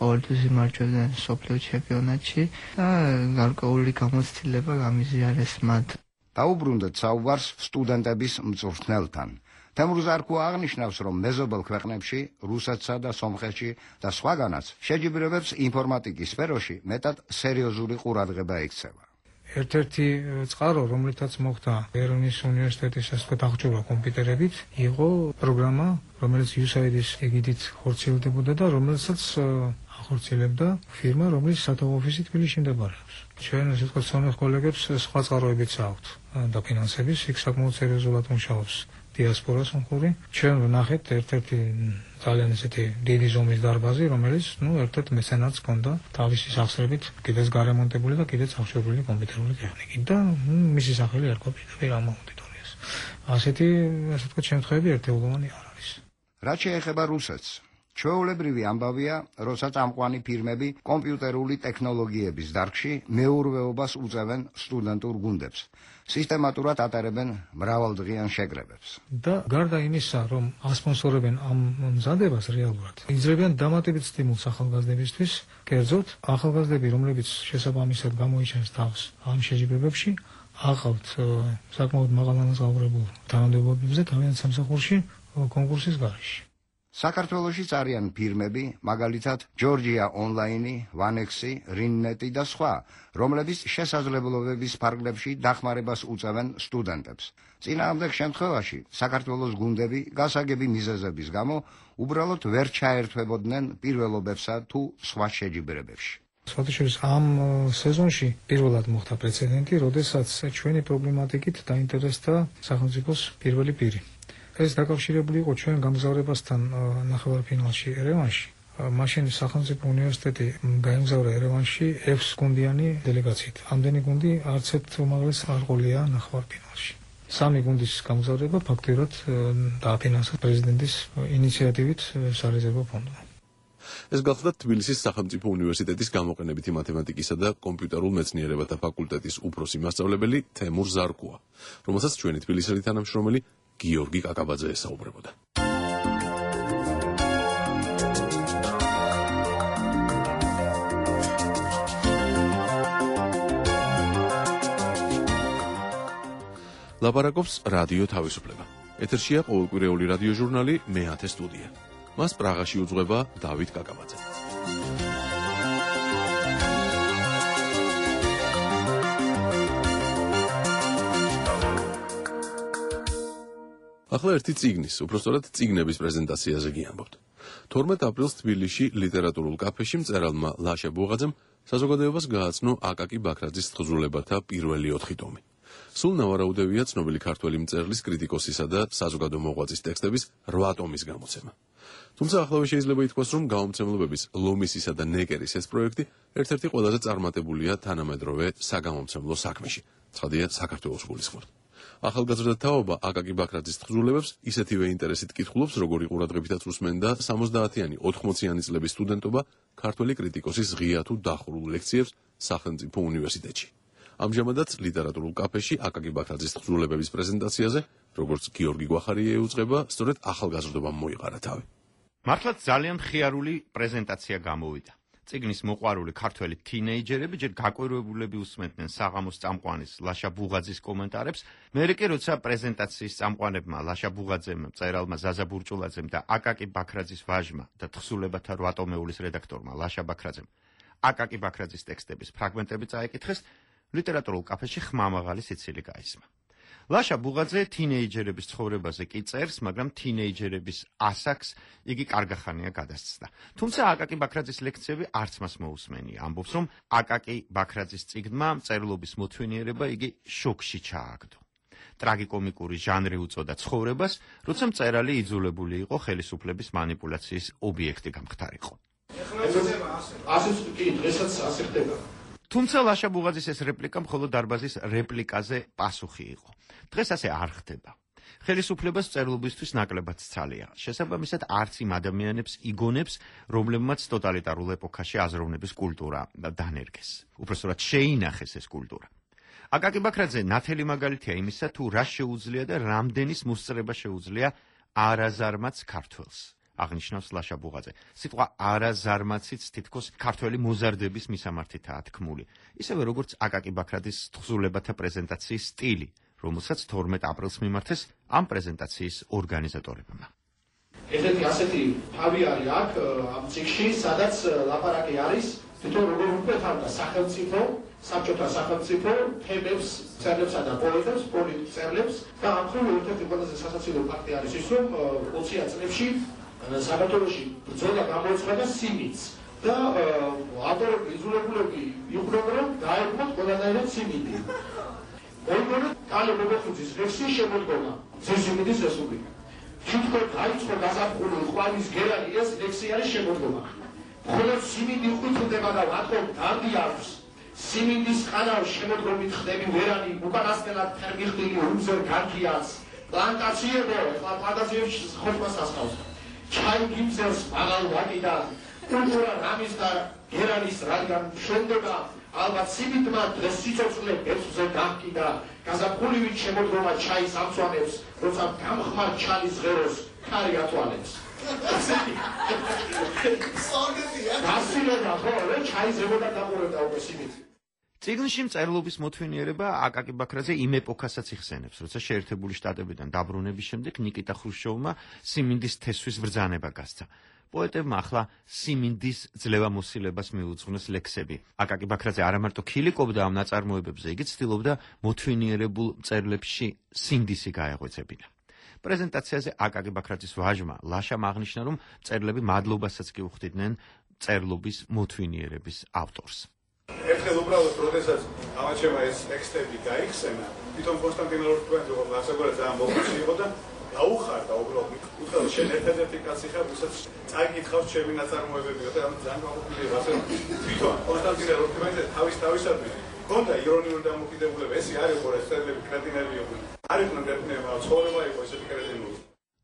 ყოველთვის იმარჯვებდნენ მსოფლიო ჩემპიონატში და გარკვეული გამოცდილება გამიზიარეს მათ.
დაუბრუნდეთ საუბარს სტუდენტების მწვრთნელთან. თემურ ზარქუა აღნიშნავს, რომ მეზობელ ქვეყნებში, რუსეთსა და სომხეთში და სხვაგანაც შეჯიბრებებს ინფორმატიკის სფეროში მეტად სერიოზული ყურადღება ექცევა.
ერთ-ერთი წყარო, რომლითაც მოხდა ერევნის უნივერსიტეტის ასე ვთქვათ აღჭურვა კომპიუტერებით, იყო პროგრამა, რომელიც იუ ეს έი დი-ის ეგიდით ხორციელდებოდა და რომელსაც ახორციელებდა ფირმა, რომლის სათაო ოფისი თბილისში მდებარეობს. ჩვენ ასე ვთქვათ სომეხ კოლეგებს სხვა წყაროებიც აქვთ დაფინანსების, იქ საკმაოდ სერიოზულად მუშაობს დიასპორას მხური. ჩვენ ვნახეთ ერთ-ერთი ძალიან ესეთი დიდი ზომის დარბაზი, რომელიც ნუ ერთ-ერთ მეცენატს ჰქონდა თავისი სახსრებით კიდეც გარემონტებული და კიდეც აღჭურვილი კომპიუტერული ტექნიკით და მისი სახელი ერქვა პირდაპირ ამ აუდიტორიას. ასეთი ასე ვთქვათ შემთხვევები ერთეულოვანი არ არის.
რაც შეეხება რუსეთს, ჩვეულებრივი ამბავია, როცა წამყვანი ფირმები კომპიუტერული ტექნოლოგიების დარგში მეურვეობას უწევენ სტუდენტურ გუნდებს. სისტემატურად ატარებენ მრავალდღიან შეკრებებს.
და გარდა იმისა, რომ ასპონსორებენ ამ მზადებას რეალურად, იძლევიან დამატებით სტიმულს ახალგაზრდებისთვის, კერძოდ ახალგაზრდები, რომლებიც შესაბამისად გამოიჩენს თავს ამ შეჯიბრებებში, აყავთ საკმაოდ მაღალანაზღაურებულ თანამდებობებზე თავიანთ სამსახურში კონკურსის გარეშე.
საქართველოშიც არიან ფირმები, მაგალითად ჯორჯია ონლაინი, ვანექსი, რინნეტი და სხვა, რომლებიც შესაძლებლობების ფარგლებში დახმარებას უწევენ სტუდენტებს. წინააღმდეგ შემთხვევაში საქართველოს გუნდები გასაგები მიზეზების გამო უბრალოდ ვერ ჩაერთვებოდნენ პირველობებსა თუ სხვა შეჯიბრებებში.
სხვათაშორის ამ სეზონში პირველად მოხდა პრეცედენტი, როდესაც ჩვენი პრობლემატიკით დაინტერესდა სახელმწიფოს პირველი პირი. ეს დაკავშირებული იყო ჩვენ გამგზავრებასთან ნახევარფინალში ერევანში. მაშინ სახელმწიფო უნივერსიტეტი გაემგზავრა ერევანში ექვს გუნდიანი დელეგაციით. ამდენი გუნდი არც ერთ უმაღლეს არ ყოლია ნახევარფინალში. სამი გუნდის გამგზავრება ფაქტობრივად დააფინანსა პრეზიდენტის ინიციატივით სარეზერვო ფონდმა.
ეს გახლდა თბილისის სახელმწიფო უნივერსიტეტის გამოყენებითი მათემატიკისა და კომპიუტერულ მეცნიერებათა ფაკულტეტის უფროსი მასწავლებელი თემურ ზარქუა, რომელსაც ჩვენი თბილისელი თანამშრომელი გიორგი კაკაბაძე ესაუბრებოდა. ლაპარაკობს რადიო თავისუფლება. ეთერშია ყოველკვირეული რადიო ჟურნალი მეათე სტუდია. მას პრაღაში უძღვება დავით კაკაბაძე. ახლა ერთი წიგნის, უпростоრად წიგნების პრეზენტაციაზე გიამბობთ. თორმეტ აპრილს თბილისში ლიტერატურულ კაფეში მწერალმა ლაშა ბუღაძემ საზოგადოებას გააცნო აკაკი ბაქრაძის თხზულებათა პირველი ოთხი ტომი. სულ ნავარაუდევია ცნობილი ქართველი მწერლის, კრიტიკოსისა და საზოგადო მოღვაწის ტექსტების რვა ტომის გამოცემა. თუმცა ახლავე შეიძლება ითქვას, რომ გამომცემლობების ლომისისა და ნეკერის ეს პროექტი ერთ-ერთი ყველაზე წარმატებულია თანამედროვე საგამომცემლო საქმეში. ცხადია, საქართველოს გულისხმობთ. ახალგაზრდა თაობა აკაკი ბაქრაძის თხზულებებს ისეთივე ინტერესით კითხულობს, როგორი ყურადღებითაც უსმენდა სამოცდაათიანი ოთხმოციანი წლების სტუდენტობა ქართველი კრიტიკოსის ღია თუ დახურულ ლექციებს სახელმწიფო უნივერსიტეტში. ამჟამადაც ლიტერატურულ კაფეში აკაკი ბაქრაძის თხზულებების პრეზენტაციაზე, როგორც გიორგი გვახარია ეუწყება, სწორედ ახალგაზრდობამ მოიყარა თავი.
მართლაც ძალიან ხიარული პრეზენტაცია გამოვიდა. წიგნის მოყვარული ქართველი თინეიჯერები ჯერ გაკვირვებულები უსმენდნენ საღამოს წამყვანის ლაშა ბუღაძის კომენტარებს, მერე კი როცა პრეზენტაციის წამყვანებმა ლაშა ბუღაძემ, მწერალმა ზაზა ბურჭულაძემ და აკაკი ბაქრაძის ვაჟმა და თხზულებათა რვა ტომეულის რედაქტორმა ლაშა ბაქრაძემ აკაკი ბაქრაძის ტექსტების ფრაგმენტები წაეკითხეს, ლიტერატურულ კაფეში ხმამაღალი სიცილი გაისმა. ლაშა ბუღაძე თინეიჯერების ცხოვრებაზე კი წერს, მაგრამ თინეიჯერების ასაკს იგი კარგახანია გადასცდა. თუმცა აკაკი ბაქრაძის ლექციები არც მას მოусმენია. ამბობს, რომ აკაკი ბაქრაძის წიგნმა მწერლობის მოთვინიერება იგი შოკში ჩააგდო. ტრაგიკომიკური ჟანრი უწოდა ცხოვრებას, როცა მწერალი იძულებული იყო ხელისუფლების манипуляციის ობიექტი გამხდარიყო.
ასეც კი დღესაც ასე ხდება.
თუმცა ლაშა ბუღაძის ეს რეპლიკა მხოლოდ დარბაზის რეპლიკაზე პასუხი იყო. დღეს ასე არ ხდება. ხელისუფლებას მწერლობისთვის ნაკლებად სცალია. შესაბამისად, არც იმ ადამიანებს იგონებს, რომლებმაც ტოტალიტარულ ეპოქაში აზროვნების კულტურა დანერგეს. უпростоრად შეინახეს ეს კულტურა. აკაკი ბაქრაძე ნათელი მაგალითია იმისა, თუ რა შეუძლია და რამდენის მოსწრება შეუძლია არაზარმაც ქართველს. აღნიშნავს ლაშა ბუღაძე. სიტყვა არაზარმაციც თითქოს ქართველი მოზარდების მისამართითაა თქმული. ისევე როგორც აკაკი ბაქრაძის თხზულებათა პრეზენტაციის სტილი, რომელსაც თორმეტ აპრილს მიმართეს ამ პრეზენტაციის ორგანიზატორებმა.
ესეთი ასეთი თავი არის აქ ამ წიგნში, სადაც ლაპარაკი არის თვითონ როგორ უყურებდა სახელმწიფო, საბჭოთა სახელმწიფო თემებს, წერლებსა და პოეტებს, პოლიტიკელებს და ამ მხრივ ერთ-ერთი ყველაზე სასაცილო ფაქტი არის ის, რომ ოციან წლებში საქართველოში ბრძოლა გამოიცხადა სიმინდს და ავტორები, იძულებულები იყვნენ, რომ დაერქვათ ყველანაირად სიმინდი. მოიგონა კალე მოგოხუძის ლექსის შემოდგომა სიმინდის რესპუბლიკა. თვითონ დაიწყო გაზაფხული ყვავის გერანი ეს ლექსი არის შემოდგომა. მხოლოდ სიმინდი ხვიტდება და რატომ დარდი აქვს. სიმინდის ყანავს შემოდგომით ხდები ვერანი, უკანასკნელად ფერმიხდილი უმზერ განქიაც. პლანტაციებო, ეხლა პლანტაციებში ხოთმას ასხავს. ჩაი გიმზერს მაღალ ვაკიდან, კულტურა რამის და გერანის რადგან შენდება, ალბათ სიმინდმა დღეს სიცოცხლე ბეწვზე გაჰკიდა, გაზაფხულივით შემოდგომა ჩაის ამცვანებს, როცა გამხმარ ჩალის ღეროს ქარი ათვალებს. გასილება ხო, რა ჩაიზებოდა დაყურებდა უკვე სიმინდი.
წიგნში მწერლობის მოთვინიერება აკაკი ბაქრაძე იმ ეპოქასაც იხსენებს, როცა შეერთებული შტატებიდან დაბრუნების შემდეგ ნიკიტა ხრუშჩოვმა სიმინდის თესვის ბრძანება გასცა. პოეტებმა ახლა სიმინდის ძლევამოსილებას მიუძღვნეს ლექსები. აკაკი ბაქრაძე არა მარტო ქილიკობდა ამ ნაწარმოებებზე, იგი ცდილობდა მოთვინიერებულ მწერლებში სინდისი გაეღვეძებინა. პრეზენტაციაზე აკაკი ბაქრაძის ვაჟმა ლაშამ აღნიშნა, რომ მწერლები მადლობასაც კი უხდიდნენ მწერლობის მოთვინიერების ავტორს.
ერთხელ უბრალოდ როდესაც ამაჩემა ეს ტექსტები გაიხსენა, თვითონ კონსტანტინე ლორთქუენი როგორ გასაგორა ძალიან მოგწი იყო და დაუხარდა უბრალოდ. უბრალოდ შენ ერთ-ერთი კაცი ხარ, ვისაც წაიკითხავს ჩემი ნაწარმოებები და ამ ძალიან გამოფილი ვარ. თვითონ კონსტანტინე ლორთქუენი თავის თავისადმი ქონდა ირონიული დამოკიდებულება, ესე არ იყო ეს წერლები კრეტინები იყვნენ. არ იყვნენ კრეტინები, ცხოვრება იყო ესეთი კრეტინული.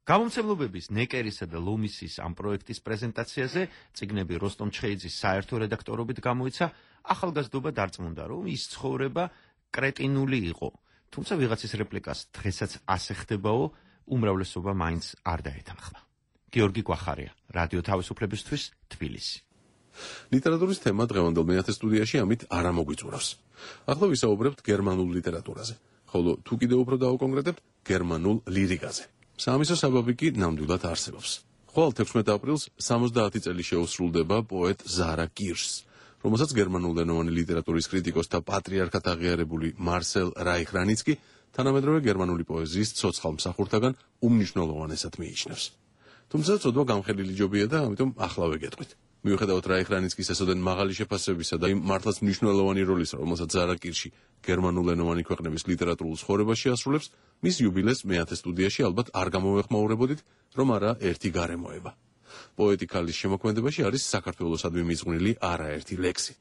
გამომცემლობების ნეკერისა და ლომისის ამ პროექტის პრეზენტაციაზე წიგნები როსტომ ჩხეიძის საერთო რედაქტორობით გამოიცა. ახალგაზრდობა დარწმუნდა, რომ ის ცხოვრება კრეტინული იყო. თუმცა ვიღაცის რეპლიკას დღესაც ასე ხდებაო, უმრავლესობა მაინც არ დაეთანხმა. გიორგი გვახარია, რადიო თავისუფლებისთვის, თბილისი.
ლიტერატურის თემა დღევანდელ მეათე სტუდიაში ამით არ ამოგვიწურავს. ახლა ვისაუბრებთ გერმანულ ლიტერატურაზე, ხოლო თუ კიდევ უფრო დავუკონკრეტებთ, გერმანულ ლირიკაზე. საამისო საბაბი კი ნამდვილად არსებობს. ხვალ თექვსმეტ აპრილს სამოცდაათი წელი შეუსრულდება პოეტ ზარა კირშს, რომელსაც გერმანულენოვანი ლიტერატურის კრიტიკოსთა პატრიარქად აღიარებული მარსელ რაიხრანიცკი თანამედროვე გერმანული პოეზიის ცოცხალ მსახურთაგან უმნიშვნელოვანესად მიიჩნევს. თუმცა ცოდვა გამხელილი ჯობია და ამიტომ ახლა ვეგეთყვით. მიუხედავად რაიხრანიცკის ესოდენ მაღალი შეფასებისა და იმ მართლაც მნიშვნელოვანი როლისა, რომელსაც ზარა კირში გერმანულენოვანი ქვეყნების ლიტერატურულ ცხოვრებაში ასრულებს, მის იუბილეს მეათე სტუდიაში ალბათ არ გამოვეხმაურებოდით, რომ არა ერთი გარემოება. პოეტი ქალის შემოქმედებაში არის საქართველოსადმი მიზღვნილი არაერთი ლექსი,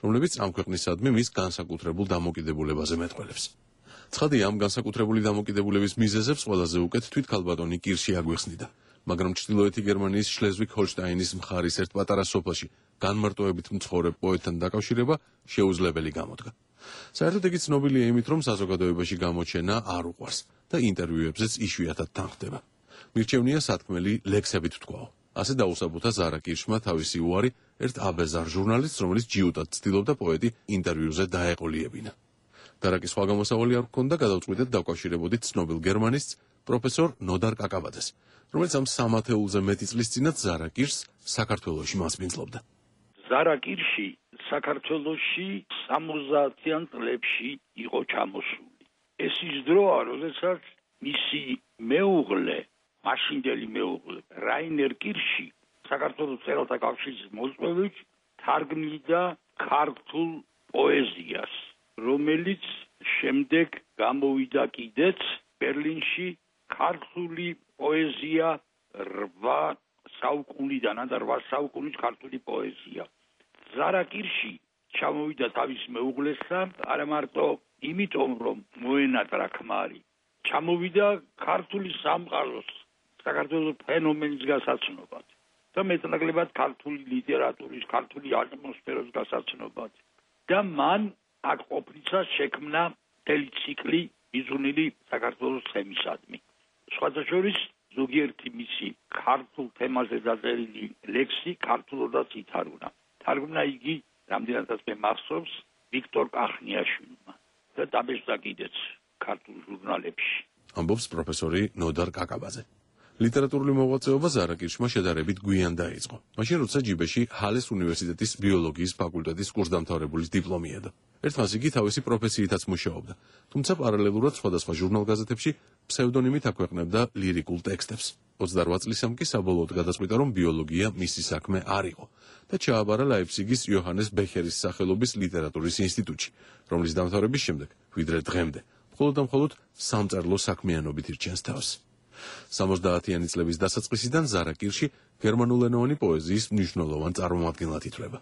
რომლებიც ამ ქვეყნისადმი მის განსაკუთრებულ დამოკიდებულებაზე მეტყველებს. ცხადია, ამ განსაკუთრებული დამოკიდებულების მიზეზებს ყველაზე უკეთ თვით ქალბატონი კირში აგვიხსნიდა, მაგრამ ჩრდილოეთი გერმანიის შლეზვიგ-ჰოლშტაინის მხარის ერთ პატარა სოფელში განმარტოებით მცხოვრებ პოეტთან დაკავშირება შეუძლებელი გამოდგა. საერთოდ იგი ცნობილია იმით, რომ საზოგადოებაში გამოჩენა არ უყვარს და ინტერვიუებზეც იშვიათად თანხდება. მირჩევნია სათქმელი ლექსებით ვთქვაო. ასე დაუსაბუთა ზარა კირშმა თავისი უარი ერთ აბეზარ ჟურნალისტს, რომელიც ჯიუტად ცდილობდა პოეტი ინტერვიუზე დაეყოლიებინა. დარაკის სხვა გამოსავალი არ ჰქონდა, გადავწყვიტეთ დავკავშირებოდით ცნობილ გერმანისტს, პროფესორ ნოდარ კაკაბაძეს, რომელიც ამ სამათეულზე მეტი წლის წინათ ზარა კირს საქართველოში მასპინძლობდა.
ზარა კირში საქართველოში სამოცდაათიან წლებში იყო ჩამოსული. ეს ის დროა, როდესაც მისი მეუღლე, მაშინდელი მეუღლე რაინერ კირში საქართველოს მწერალთა კავშირის მოწვევით თარგმნიდა ქართულ პოეზიას, რომელიც შემდეგ გამოვიდა კიდეც ბერლინში ქართული პოეზია რვა საუკუნიდან და რვა საუკუნის ქართული პოეზია. ზარა კირში ჩამოვიდა თავის მეუღლესთან, არა მარტო იმიტომ, რომ მოენატრა ქმარი, ჩამოვიდა ქართული სამყაროს, საქართველოს ფენომენის გასაცნობად და მეტნაკლებად ქართული ლიტერატურის, ქართული ატმოსფეროს გასაცნობად. და მან აქ ყოფნისას შექმნა მთელი ციკლი მიზუნილი საქართველოს თემისადმი. სხვადასხვა ზოგიერთი მისი ქართულ თემაზე დაწერილი ლექსი ქართულადაც ითარგმნა. თარგმნა იგი რამდენადაც მე მახსოვს ვიქტორ კახნიაშვილმა და დაბეჭდა კიდეც ქართულ ჟურნალებში.
ამბობს პროფესორი ნოდარ კაკაბაძე. ლიტერატურული მოღვაწეობა ზარა კირშმა შედარებით გვიან დაიწყო. მაშინ როცა ჯიბეში ჰალეს უნივერსიტეტის ბიოლოგიის ფაკულტეტის კურსდამთავრებულის დიპლომი ედო. ერთხანს იგი თავისი პროფესიითაც მუშაობდა, თუმცა პარალელურად სხვადასხვა ჟურნალ-გაზეთებში ფსევდონიმით აქვეყნებდა ლირიკულ ტექსტებს. ოცდარვა წლისამ კი საბოლოოდ გადაწყვიტა, რომ ბიოლოგია მისი საქმე არ იყო და ჩააბარა ლაიფციგის იოჰანეს ბეხერის სახელობის ლიტერატურის ინსტიტუტში, რომლის დამთავრების შემდეგ, ვიდრე დღემდე, მხოლოდ და მხოლოდ სამწერლო საქმიანობით ირჩენს თავს. სამოცდაათიანი წლების დასაწყისიდან ზარა კირში გერმანულენოვანი პოეზიის მნიშვნელოვან წარმომადგენლად ითვლება.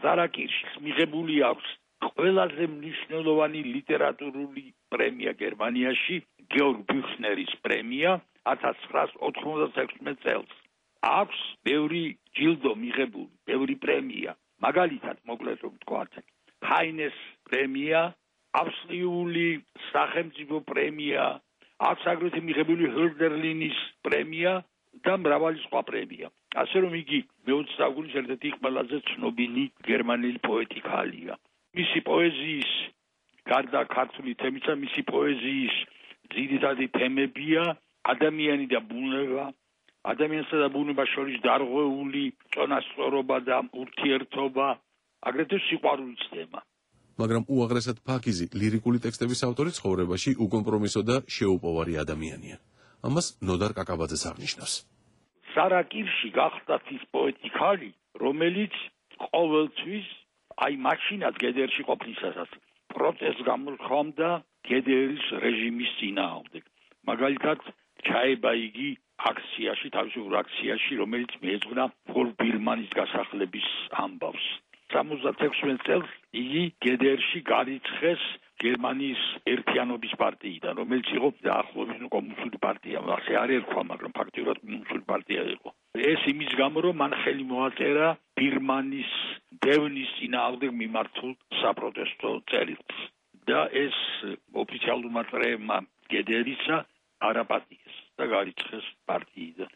ზარა კირშის მიღებული აქვს ყველაზე მნიშვნელოვანი ლიტერატურული პრემია გერმანიაში, გეორგ ბიუხნერის პრემია ათას ცხრაას ოთხმოცდათექვსმეტ წელს. აქვს ბევრი ჯილდო მიღებული, ბევრი პრემია. მაგალითად, მოკლედ რომ ვთქვათ, ჰაინეს პრემია, ავსტრიული სახელმწიფო პრემია, აქვს აგრეთვე მიღებული ჰოლდერლინის პრემია და მრავალი სხვა პრემია. ასე რომ იგი მეოცე საუკუნის ერთ-ერთი ყველაზე ცნობილი გერმანელი პოეტი ქალია. მისი პოეზიის გარდა ქართული თემისა, მისი პოეზიის ძირითადი თემებია ადამიანი და ბუნება, ადამიანსა და ბუნებას შორის დარღვეული წონასწორობა და ურთიერთობა, აგრეთვე სიყვარულის თემა.
მაგრამ უაღრესად ფაქიზი ლირიკული ტექსტების ავტორი ცხოვრებაში უკომპრომისო და შეუპოვარი ადამიანია. ამას ნოდარ კაკაბაძეს აღნიშნავს.
ზარა კირში გახდა ის პოეტი ქალი, რომელიც ყოველთვის აი მაშინაც გედერში ყოფნისასაც პროტესტს გამოთქვამდა გედერის რეჟიმის წინააღმდეგ. მაგალითად, ჩაება იგი აქციაში, თავისუფლ აქციაში, რომელიც მიეძღვნა ფოლ ბირმანის გასახლების ამბავს. სამოცდათექვსმეტ წელს იგი გედერში გარიცხეს გერმანიის ერთიანობის პარტიიდან, რომელიც იყო დაახლოებით კომუნისტური პარტია. ასე არ ერქვა, მაგრამ ფაქტიურად კომუნისტური პარტია იყო. ეს იმის გამო, რომ მან ხელი მოაწერა ბირმანის დევნის წინააღმდეგ მიმართულ საპროტესტო წერილს და ეს ოფიციალურმა წრეებმა გედერისა არაპატიეს და გარიცხეს პარტიიდან.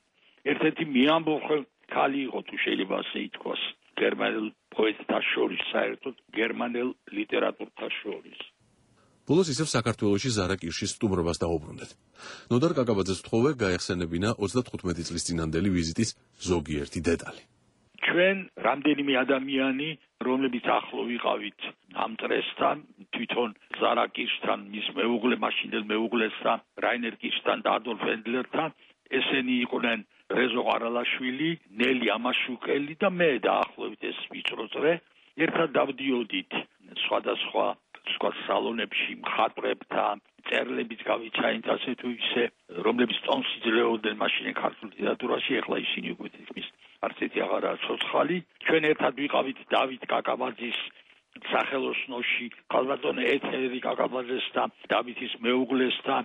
ერთ-ერთი მეამბოხე ქალი იყო, თუ შეიძლება ასე ითქვას, გერმანელ პოეტთა შორის, საერთოდ გერმანელ ლიტერატურთა შორის.
ბოლოს ისევ საქართველოში ზარა კირშის სტუმრობას დაუბრუნდეთ. ნოდარ კაკაბაძეს ვთხოვე გაეხსენებინა ოცდათხუთმეტი წლის წინანდელი ვიზიტის ზოგიერთი დეტალი.
ჩვენ რამდენიმე ადამიანი რომლებიც ახლო ვიყავით ამ წრესთან, თვითონ ზარა კირშთან, მის მეუღლე, მაშინდელ მეუღლესთან, რაინერ კირშთან და ადოლფ ენდლერთან, ესენი იყვნენ რეზო ყარალაშვილი, ნელი ამაშუკელი და მე დაახლოებით ეს ვიწრო წრე, ერთად დავდიოდით სხვადასხვა სხვა სალონებში მხატვრებთან, წერლებით გავიჩაინთ ასე თუ ისე, რომლებიც ტონს იძლეოდნენ მაშინ ქართულ ლიტერატურაში, ეხლა ისინი უკვე თითქმის არც ერთი აღარაა ცოცხალი. ჩვენ ერთად ვიყავით დავით კაკაბაძის სახელოსნოში, ქალბატონ ეთერი კაკაბაძესთან, დავითის მეუღლესთან,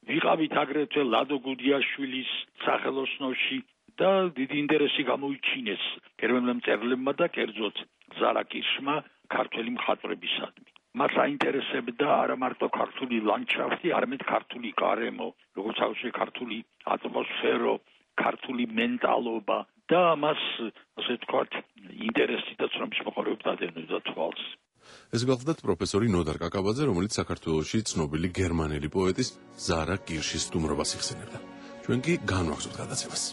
ვიყავით აგრეთვე ლადო გუდიაშვილის სახელოსნოში და დიდი ინტერესი გამოიჩინეს გერმანელ მწერლებმა და კერძოდ ზარა კირშმა ქართველი მხატვრებისადმი. მას აინტერესებდა არა მარტო ქართული ლანდშაფტი, არამედ ქართული გარემო, როგორც აუშვე ქართული ატმოსფერო, ქართული მენტალობა და მას ასე ვთქვათ ინტერესი და ცნობის მოყოლებით ადევნებდა თვალს.
ეს გახლდათ პროფესორი ნოდარ კაკაბაძე, რომელიც საქართველოში ცნობილი გერმანელი პოეტის ზარა კირშის სტუმრობას იხსენებდა. ჩვენ კი განვაგრძობთ გადაცემას.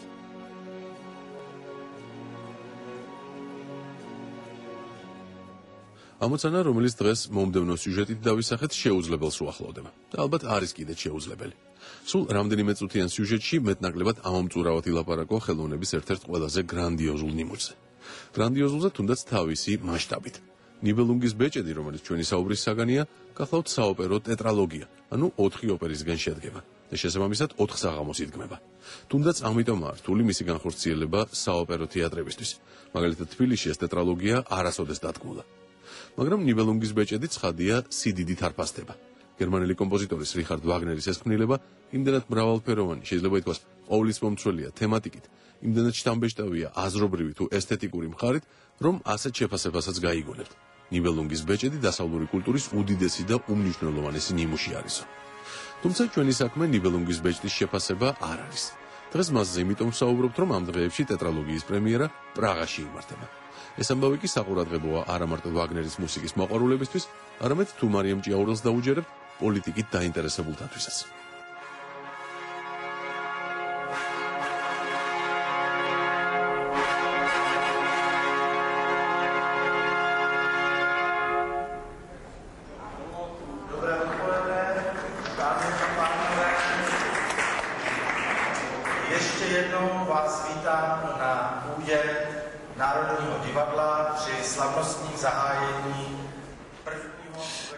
ამოცანა, რომელიც დღეს მომდევნო სიუჟეტით დავისახეთ, შეუძლებელს უახლოვდება და ალბათ არის კიდეც შეუძლებელი. სულ რამდენიმე წუთიან სიუჟეტში მეტნაკლებად ამომწურავად ილაპარაკო ხელოვნების ერთ-ერთ ყველაზე გრანდიოზულ ნიმუშზე. გრანდიოზულზე თუნდაც თავისი მასშტაბით. ნიბელუნგის ბეჭედი, რომელიც ჩვენი საუბრის საგანია, გახლავთ საოპერო ტეტრალოგია, ანუ ოთხი ოპერისგან შედგება და შესაბამისად ოთხ საღამოს იდგმება. თუნდაც ამიტომაა რთული მისი განხორციელება საოპერო თეატრებისთვის. მაგალითად, თბილისში ეს ტეტრალოგია არასოდეს დადგმულა. მაგრამ ნიბელუნგის ბეჭედი ცხადია სიდიდით არ ფასდება. გერმანელი კომპოზიტორის რიხარდ ვაგნერის ეს ქმნილება იმდენად მრავალფეროვანი, შეიძლება ითქვას, ყოვლისმომცველია თემატიკით, იმდენად შთამბეჭდავია აზრობრივი თუ ესთეტიკური მხარით, რომ ასეთ შეფასებასაც გაიგონებთ. ნიბელუნგის ბეჭედი დასავლური კულტურის უდიდესი და უმნიშვნელოვანესი ნიმუში არისო. თუმცა ჩვენი საქმე ნიბელუნგის ბეჭდის შეფასება არ არის. დღეს მასზე იმიტომ ვსაუბრობთ, რომ ამ დღეებში ტეტრალოგიის პრემიერა პრაღაში იმართება. ეს ამბავი კი საყურადღებოა არა მარტო ვაგნერის მუსიკის მოყვარულებისთვის, არამედ თუ მარიამ ჭიაურელს დაუჯერებთ პოლიტიკით დაინტერესებულთათვისაც.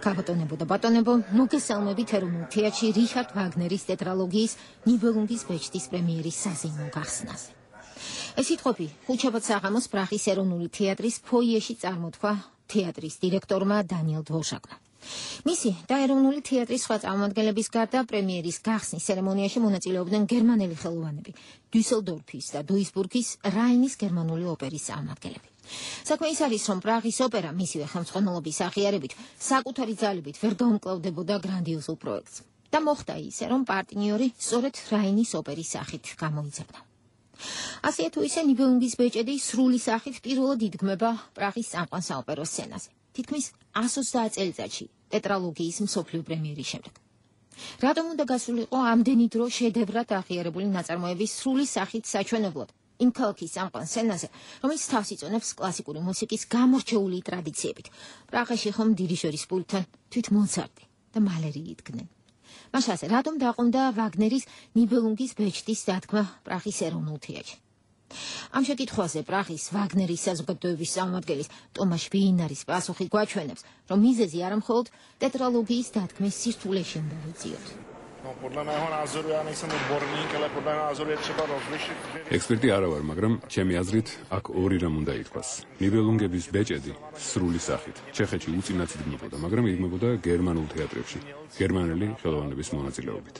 Kabatonego და ბატონებო, მოგესალმებით ეროვნულ თეატრში რიხარდ ვაგნერის ტეტრალოგიის ნიბელუნგის ბეჭდის პრემიერის საზეიმო გახსნაზე. ეს სიტყვები ხუთშაბათ საღამოს პრაღის ეროვნული თეატრის ფოიეში წარმოთქვა თეატრის დირექტორმა დანიელ დვოშაკმა. მისი და ეროვნული თეატრის სხვა წარმომადგენლების გარდა პრემიერის გახსნის ცერემონიაში მონაწილეობდნენ გერმანელი ხელოვანები, დუისელდორფის და დუისბურგის რაინის გერმანული ოპერის წარმომადგენლები. საქმე ის არის, რომ პრაღის ოპერა მისივე ხელმძღვანელობის აღიარებით საკუთარი ძალებით ვერ გაუმკლავდებოდა გრანდიოზულ პროექტს და მოხდა ისე, რომ პარტნიორი სწორედ რაინის ოპერის სახით გამოიძებნა. ასეა თუ ისე ნიბელუნგის ბეჭედი სრული სახით პირველად იდგმება პრაღის წამყვან საოპერო სცენაზე, თითქმის εκ ოცდაათ წელიწადში ტეტრალოგიის მსოფლიო პრემიერის შემდეგ. რატომ უნდა გასულიყო ამდენი დრო შედევრად აღიარებული ნაწარმოების სრული სახით საჩვენებლად იმ ქალაქის წამყვან სცენაზე, რომელიც თავს იწონებს კლასიკური მუსიკის გამორჩეული ტრადიციებით. პრაღაში ხომ დირიჟორის პულტთან თვით მოცარტი და მალერი იდგნენ. მაშასე, რატომ დაყუნდა ვაგნერის ნიბელუნგის ბეჭდის დადგმა პრაღის ეროვნულ თეატრში? ამ შეკითხვაზე პრაღის ვაგნერის საზოგადოების წარმომადგენლის ტომაშ ვიინარის პასუხი გვაჩვენებს, რომ მიზეზი არა მხოლოდ ტეტრალოგიის დადგმის სირთულეში უნდა ვიწიოთ.
ექსპერტი არა ვარ, მაგრამ ჩემი აზრით აქ ორი რამ უნდა ითქვას. ნიბელუნგების ბეჭედი სრული სახით ჩეხეთში უწინაც იდგმებოდა, მაგრამ იდგმებოდა გერმანულ თეატრებში, გერმანელი ხელოვნების მონაწილეობით.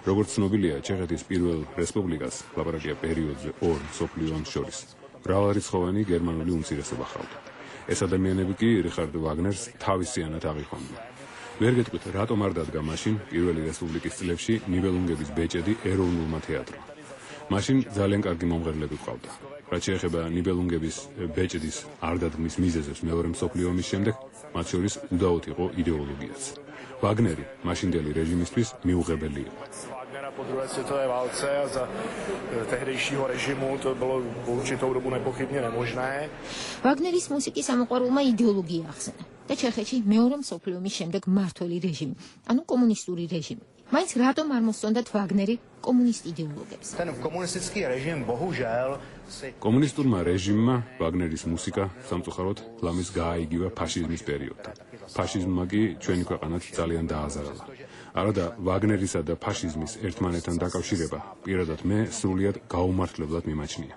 როგორც ცნობილია, ჩეხეთის პირველ რესპუბლიკას ლაპარაკია პერიოდზე ორ მსოფლიო ომს შორის. მრავალრიცხოვანი გერმანული უმცირესობა ჰყავდა. ეს ადამიანები კი რიხარდ ვაგნერს თავისიანად აღიქვამდნენ. ვერ გეტყვით, რატომ არ დადგა მაშინ პირველი რესპუბლიკის წლებში ნიბელუნგების ბეჭედი ეროვნულმა თეატრმა. მაშინ ძალიან კარგი მომღერლები ჰყავდა. რაც შეეხება ნიბელუნგების ბეჭდის არ დადგმის მიზეზებს მეორე მსოფლიო ომის შემდეგ, მათ შორის უდაოდ იყო იდეოლოგიაც. ვაგნერი მაშინდელი რეჟიმისთვის მიუღებელი იყო.
po druhé světové válce a za tehdejšího režimu to bylo po určitou dobu nepochybně nemožné.
Wagneris მუსიკის ამოყვარულმა იდეოლოგია ახსენა და ჩეხეთში მეორე მსოფლიო ომის შემდეგ მმართველი რეჟიმი, ანუ კომუნისტური რეჟიმი. მაინც რატომ არ მოსწონდათ ვაგნერი კომუნისტ იდეოლოგებს?
Ten komunistický režim bohužel
კომუნისტურმა რეჟიმმა ვაგნერის მუსიკა სამწუხაროდ ლამის გააიგივა ფაშიზმის პერიოდთან. ფაშიზმმა კი ჩვენი ქვეყანაც ძალიან დააზარალა. არადა ვაგნერისა და ფაშიზმის ერთმანეთთან დაკავშირება პირადად მე სრულიად გაუმართლებლად მიმაჩნია.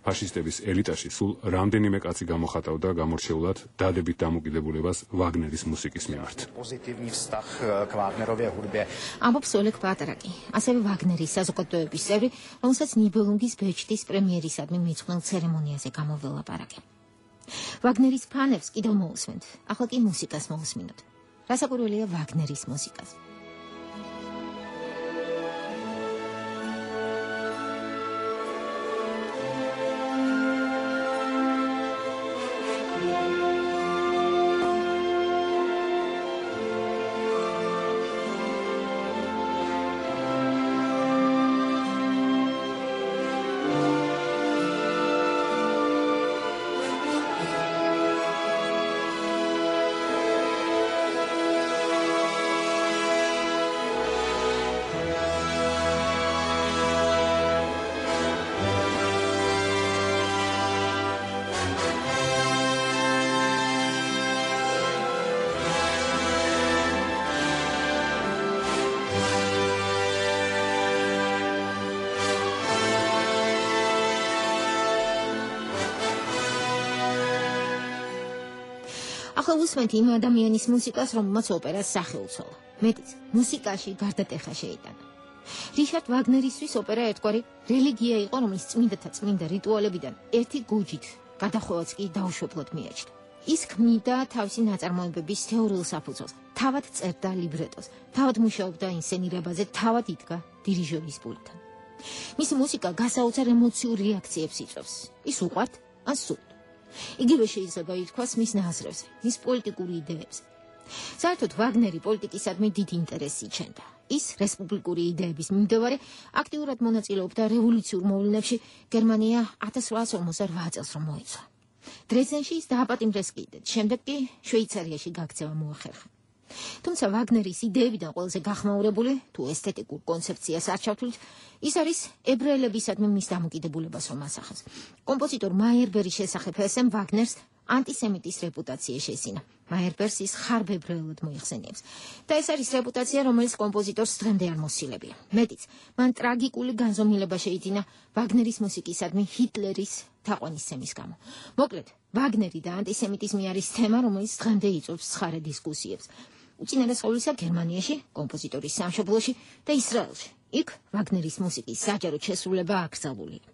ფაშისტების ელიტაში სულ რამდენიმე კაცი გამოხატავდა გამორჩეულად დადებით დამოკიდებულებას ვაგნერის მუსიკის მიმართ.
Pozitivní vztah k Wagnerově hudbě.
ამბობს ოლეგ პატრაკი, ასევე ვაგნერის საზოგადოების წევრი, რომელსაც ნიბელუნგის ბეჭდის პრემიერისადმი მიძღვნილ ცერემონიაზე გამოველაპარაკე. ვაგნერის ფანებს კიდევ მოусმენთ, ახლა კი მუსიკას მოусმინოთ. რასაკვირველია ვაგნერის მუსიკას. ახლა უსმენთ იმ ადამიანის მუსიკას, რომელმაც ოპერას სახე უცვალა. მეტიც, მუსიკაში გარდატეხა შეიტანა. რიჩარდ ვაგნერისთვის ოპერა ერთგვარი რელიგია იყო, რომლის წმინდათა წმინდა რიტუალებიდან ერთი გუჯით, გადახვევაც კი დაუშვებლად მიაჩნდა. ის ქმნიდა თავისი ნაწარმოებების თეორიულ საფუძველს, თავად წერდა ლიბრეტოს, თავად მუშაობდა ინსცენირებაზე, თავად იდგა დირიჟორის პულტთან. მისი მუსიკა გასაოცარ ემოციურ რეაქციებს იწვევს. ის უყვართ ან სურთ. იგივე შეიძლება ითქვას მის ნაზრებზე, მის პოლიტიკურ იდეებზე. საერთოდ ვაგნერი პოლიტიკისადმი დიდ ინტერესს იჩენდა. ის რესპუბლიკური იდეების მიმდევარი აქტიურად მონაწილეობდა რევოლუციურ მოვლენებში გერმანია ათას რვაას ორმოცდაოთხ წელს რომ მოიცვა. დრეზდენში ის დააპატიმრეს კიდეც, შემდეგ კი შვეიცარიაში გაქცევა მოახერხა. თუმცა ვაგნერის იდეებიდან ყველაზე გახმაურებული თუ ესთეტიკურ კონცეფციას არ ჩავთვლით, ის არის ებრაელებისადმი მის დამოკიდებულებას რომ ასახავს. კომპოზიტორ მაიერბერის შესახებ ესემ ვაგნერს ანტისემიტის რეპუტაცია შესინა. მაიერბერს ის ხარბებრაელად მოიხსენიებს. და ეს არის რეპუტაცია, რომელიც კომპოზიტორს დღემდე არ მოსილებია. მეტიც, მან ტრაგიკული განზომილება შეიძინა ვაგნერის მუსიკისადმი ჰიტლერის თაყვანისცემის გამო. მოკლედ, ვაგნერი და ანტისემიტიზმი არის თემა, რომელიც დღემდე იწვევს ცხარე დისკუსიებს. უწინარეს ყოვლისა გერმანიაში, კომპოზიტორის სამშობლოში და ისრაელში. იქ ვაგნერის მუსიკის საჯარო შესრულება აკრძალულია.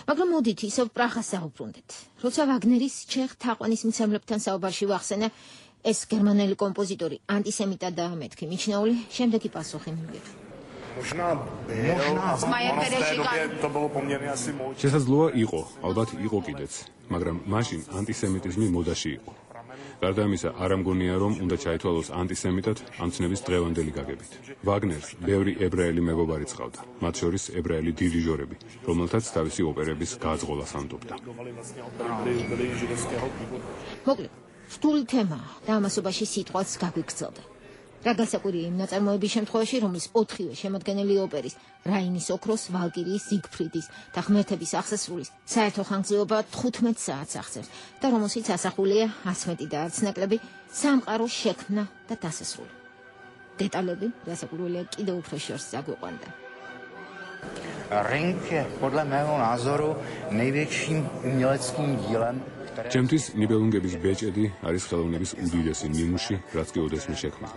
მაგრამ მოდით ისევ პრაღას დავუბრუნდეთ. როცა ვაგნერის ჩეხ თაყვანისმცემლებთან საუბარში ვახსენა, ეს გერმანელი კომპოზიტორი ანტისემიტადაა მეთქი მიჩნეული, შემდეგი პასუხი მივიღე.
შესაძლოა იყო, ალბათ იყო კიდეც, მაგრამ მაშინ ანტისემიტიზმი მოდაში იყო. გარდა ამისა, არ ამგონია, რომ უნდა ჩაითვალოს ანტისემიტად ამ ცნების დღევანდელი გაგებით. ვაგნერს ბევრი ებრაელი მეგობარი წყავდა, მათ შორის ებრაელი დირიჟორები, რომელთაც თავისი ოპერების გააძღოლას ანდობდა.
მოკლედ, რთული თემაა და ამასობაში სიტყვაც გაგვიგრძელდა. რა გასაკვირია იმ ნაწარმოების შემთხვევაში, რომლის ოთხივე შემადგენელი ოპერის, რაინის ოქროს, ვალკირიის, ზიგფრიდის და ღმერთების აღსასრულის საერთო ხანგრძლივობა თხუთმეტ საათს აღწევს და რომელშიც ასახულია არც მეტი და არც ნაკლები სამყაროს შექმნა და დასასრული. დეტალები, გასაკვირველია, კიდევ უფრო შორს წაგვიყვანდა.
Ring je podle mého názoru největším uměleckým dílem.
ჩემთვის ნიბელუნგების ბეჭედი არის ხელოვნების უდიდესი ნიმუში, რაც კი ოდესმე შექმნა.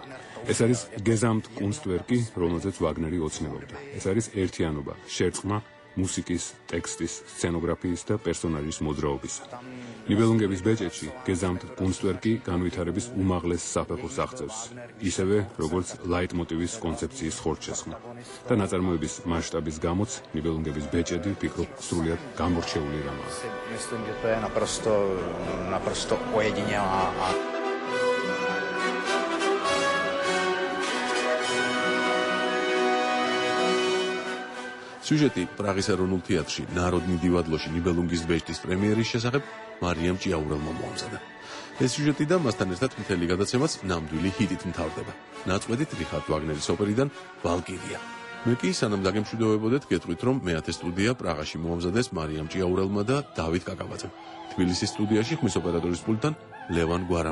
ეს არის გეზამტ კუნსტვერკი, რომელზეც ვაგნერი ოცნებობდა. ეს არის ერთიანობა, შერწყმა მუსიკის, ტექსტის, სცენოგრაფიის და პერსონაჟის მოძრაობისა. ნიბელუნგების ბეჭედში გეზამტ კუნსტვერკი განვითარების უმაღლეს საფეხურს აღწევს, ისევე როგორც ლაიტმოტივის კონცეფციის ხორცშესხმა. და ნაწარმოების მასშტაბის გამოც ნიბელუნგების ბეჭედი ვფიქრობ სრულიად გამორჩეული რამაა.
Myslím, že to je naprosto, naprosto ojedinělá a
სიუჟეტი პრაღის ეროვნულ თეატრში ნაროდნი დივადლოში ნიბელუნგის ბეჭდის პრემიერის შესახებ მარიამ ჭიაურელმა მოამზადა. ეს სიუჟეტი და მასთან ერთად მთელი გადაცემაც ნამდვილი ჰიტით მთავრდება. ნაწყვეტით რიხარდ ვაგნერის ოპერიდან ვალკირია. მე კი სანამ დაგემშვიდობებოდეთ, გეტყვით, რომ მეათე სტუდია პრაღაში მოამზადეს მარიამ ჭიაურელმა და დავით კაკაბაძემ. თბილისის სტუდიაში ხმის ოპერატორის პულტთან ლევან გვარამაძე.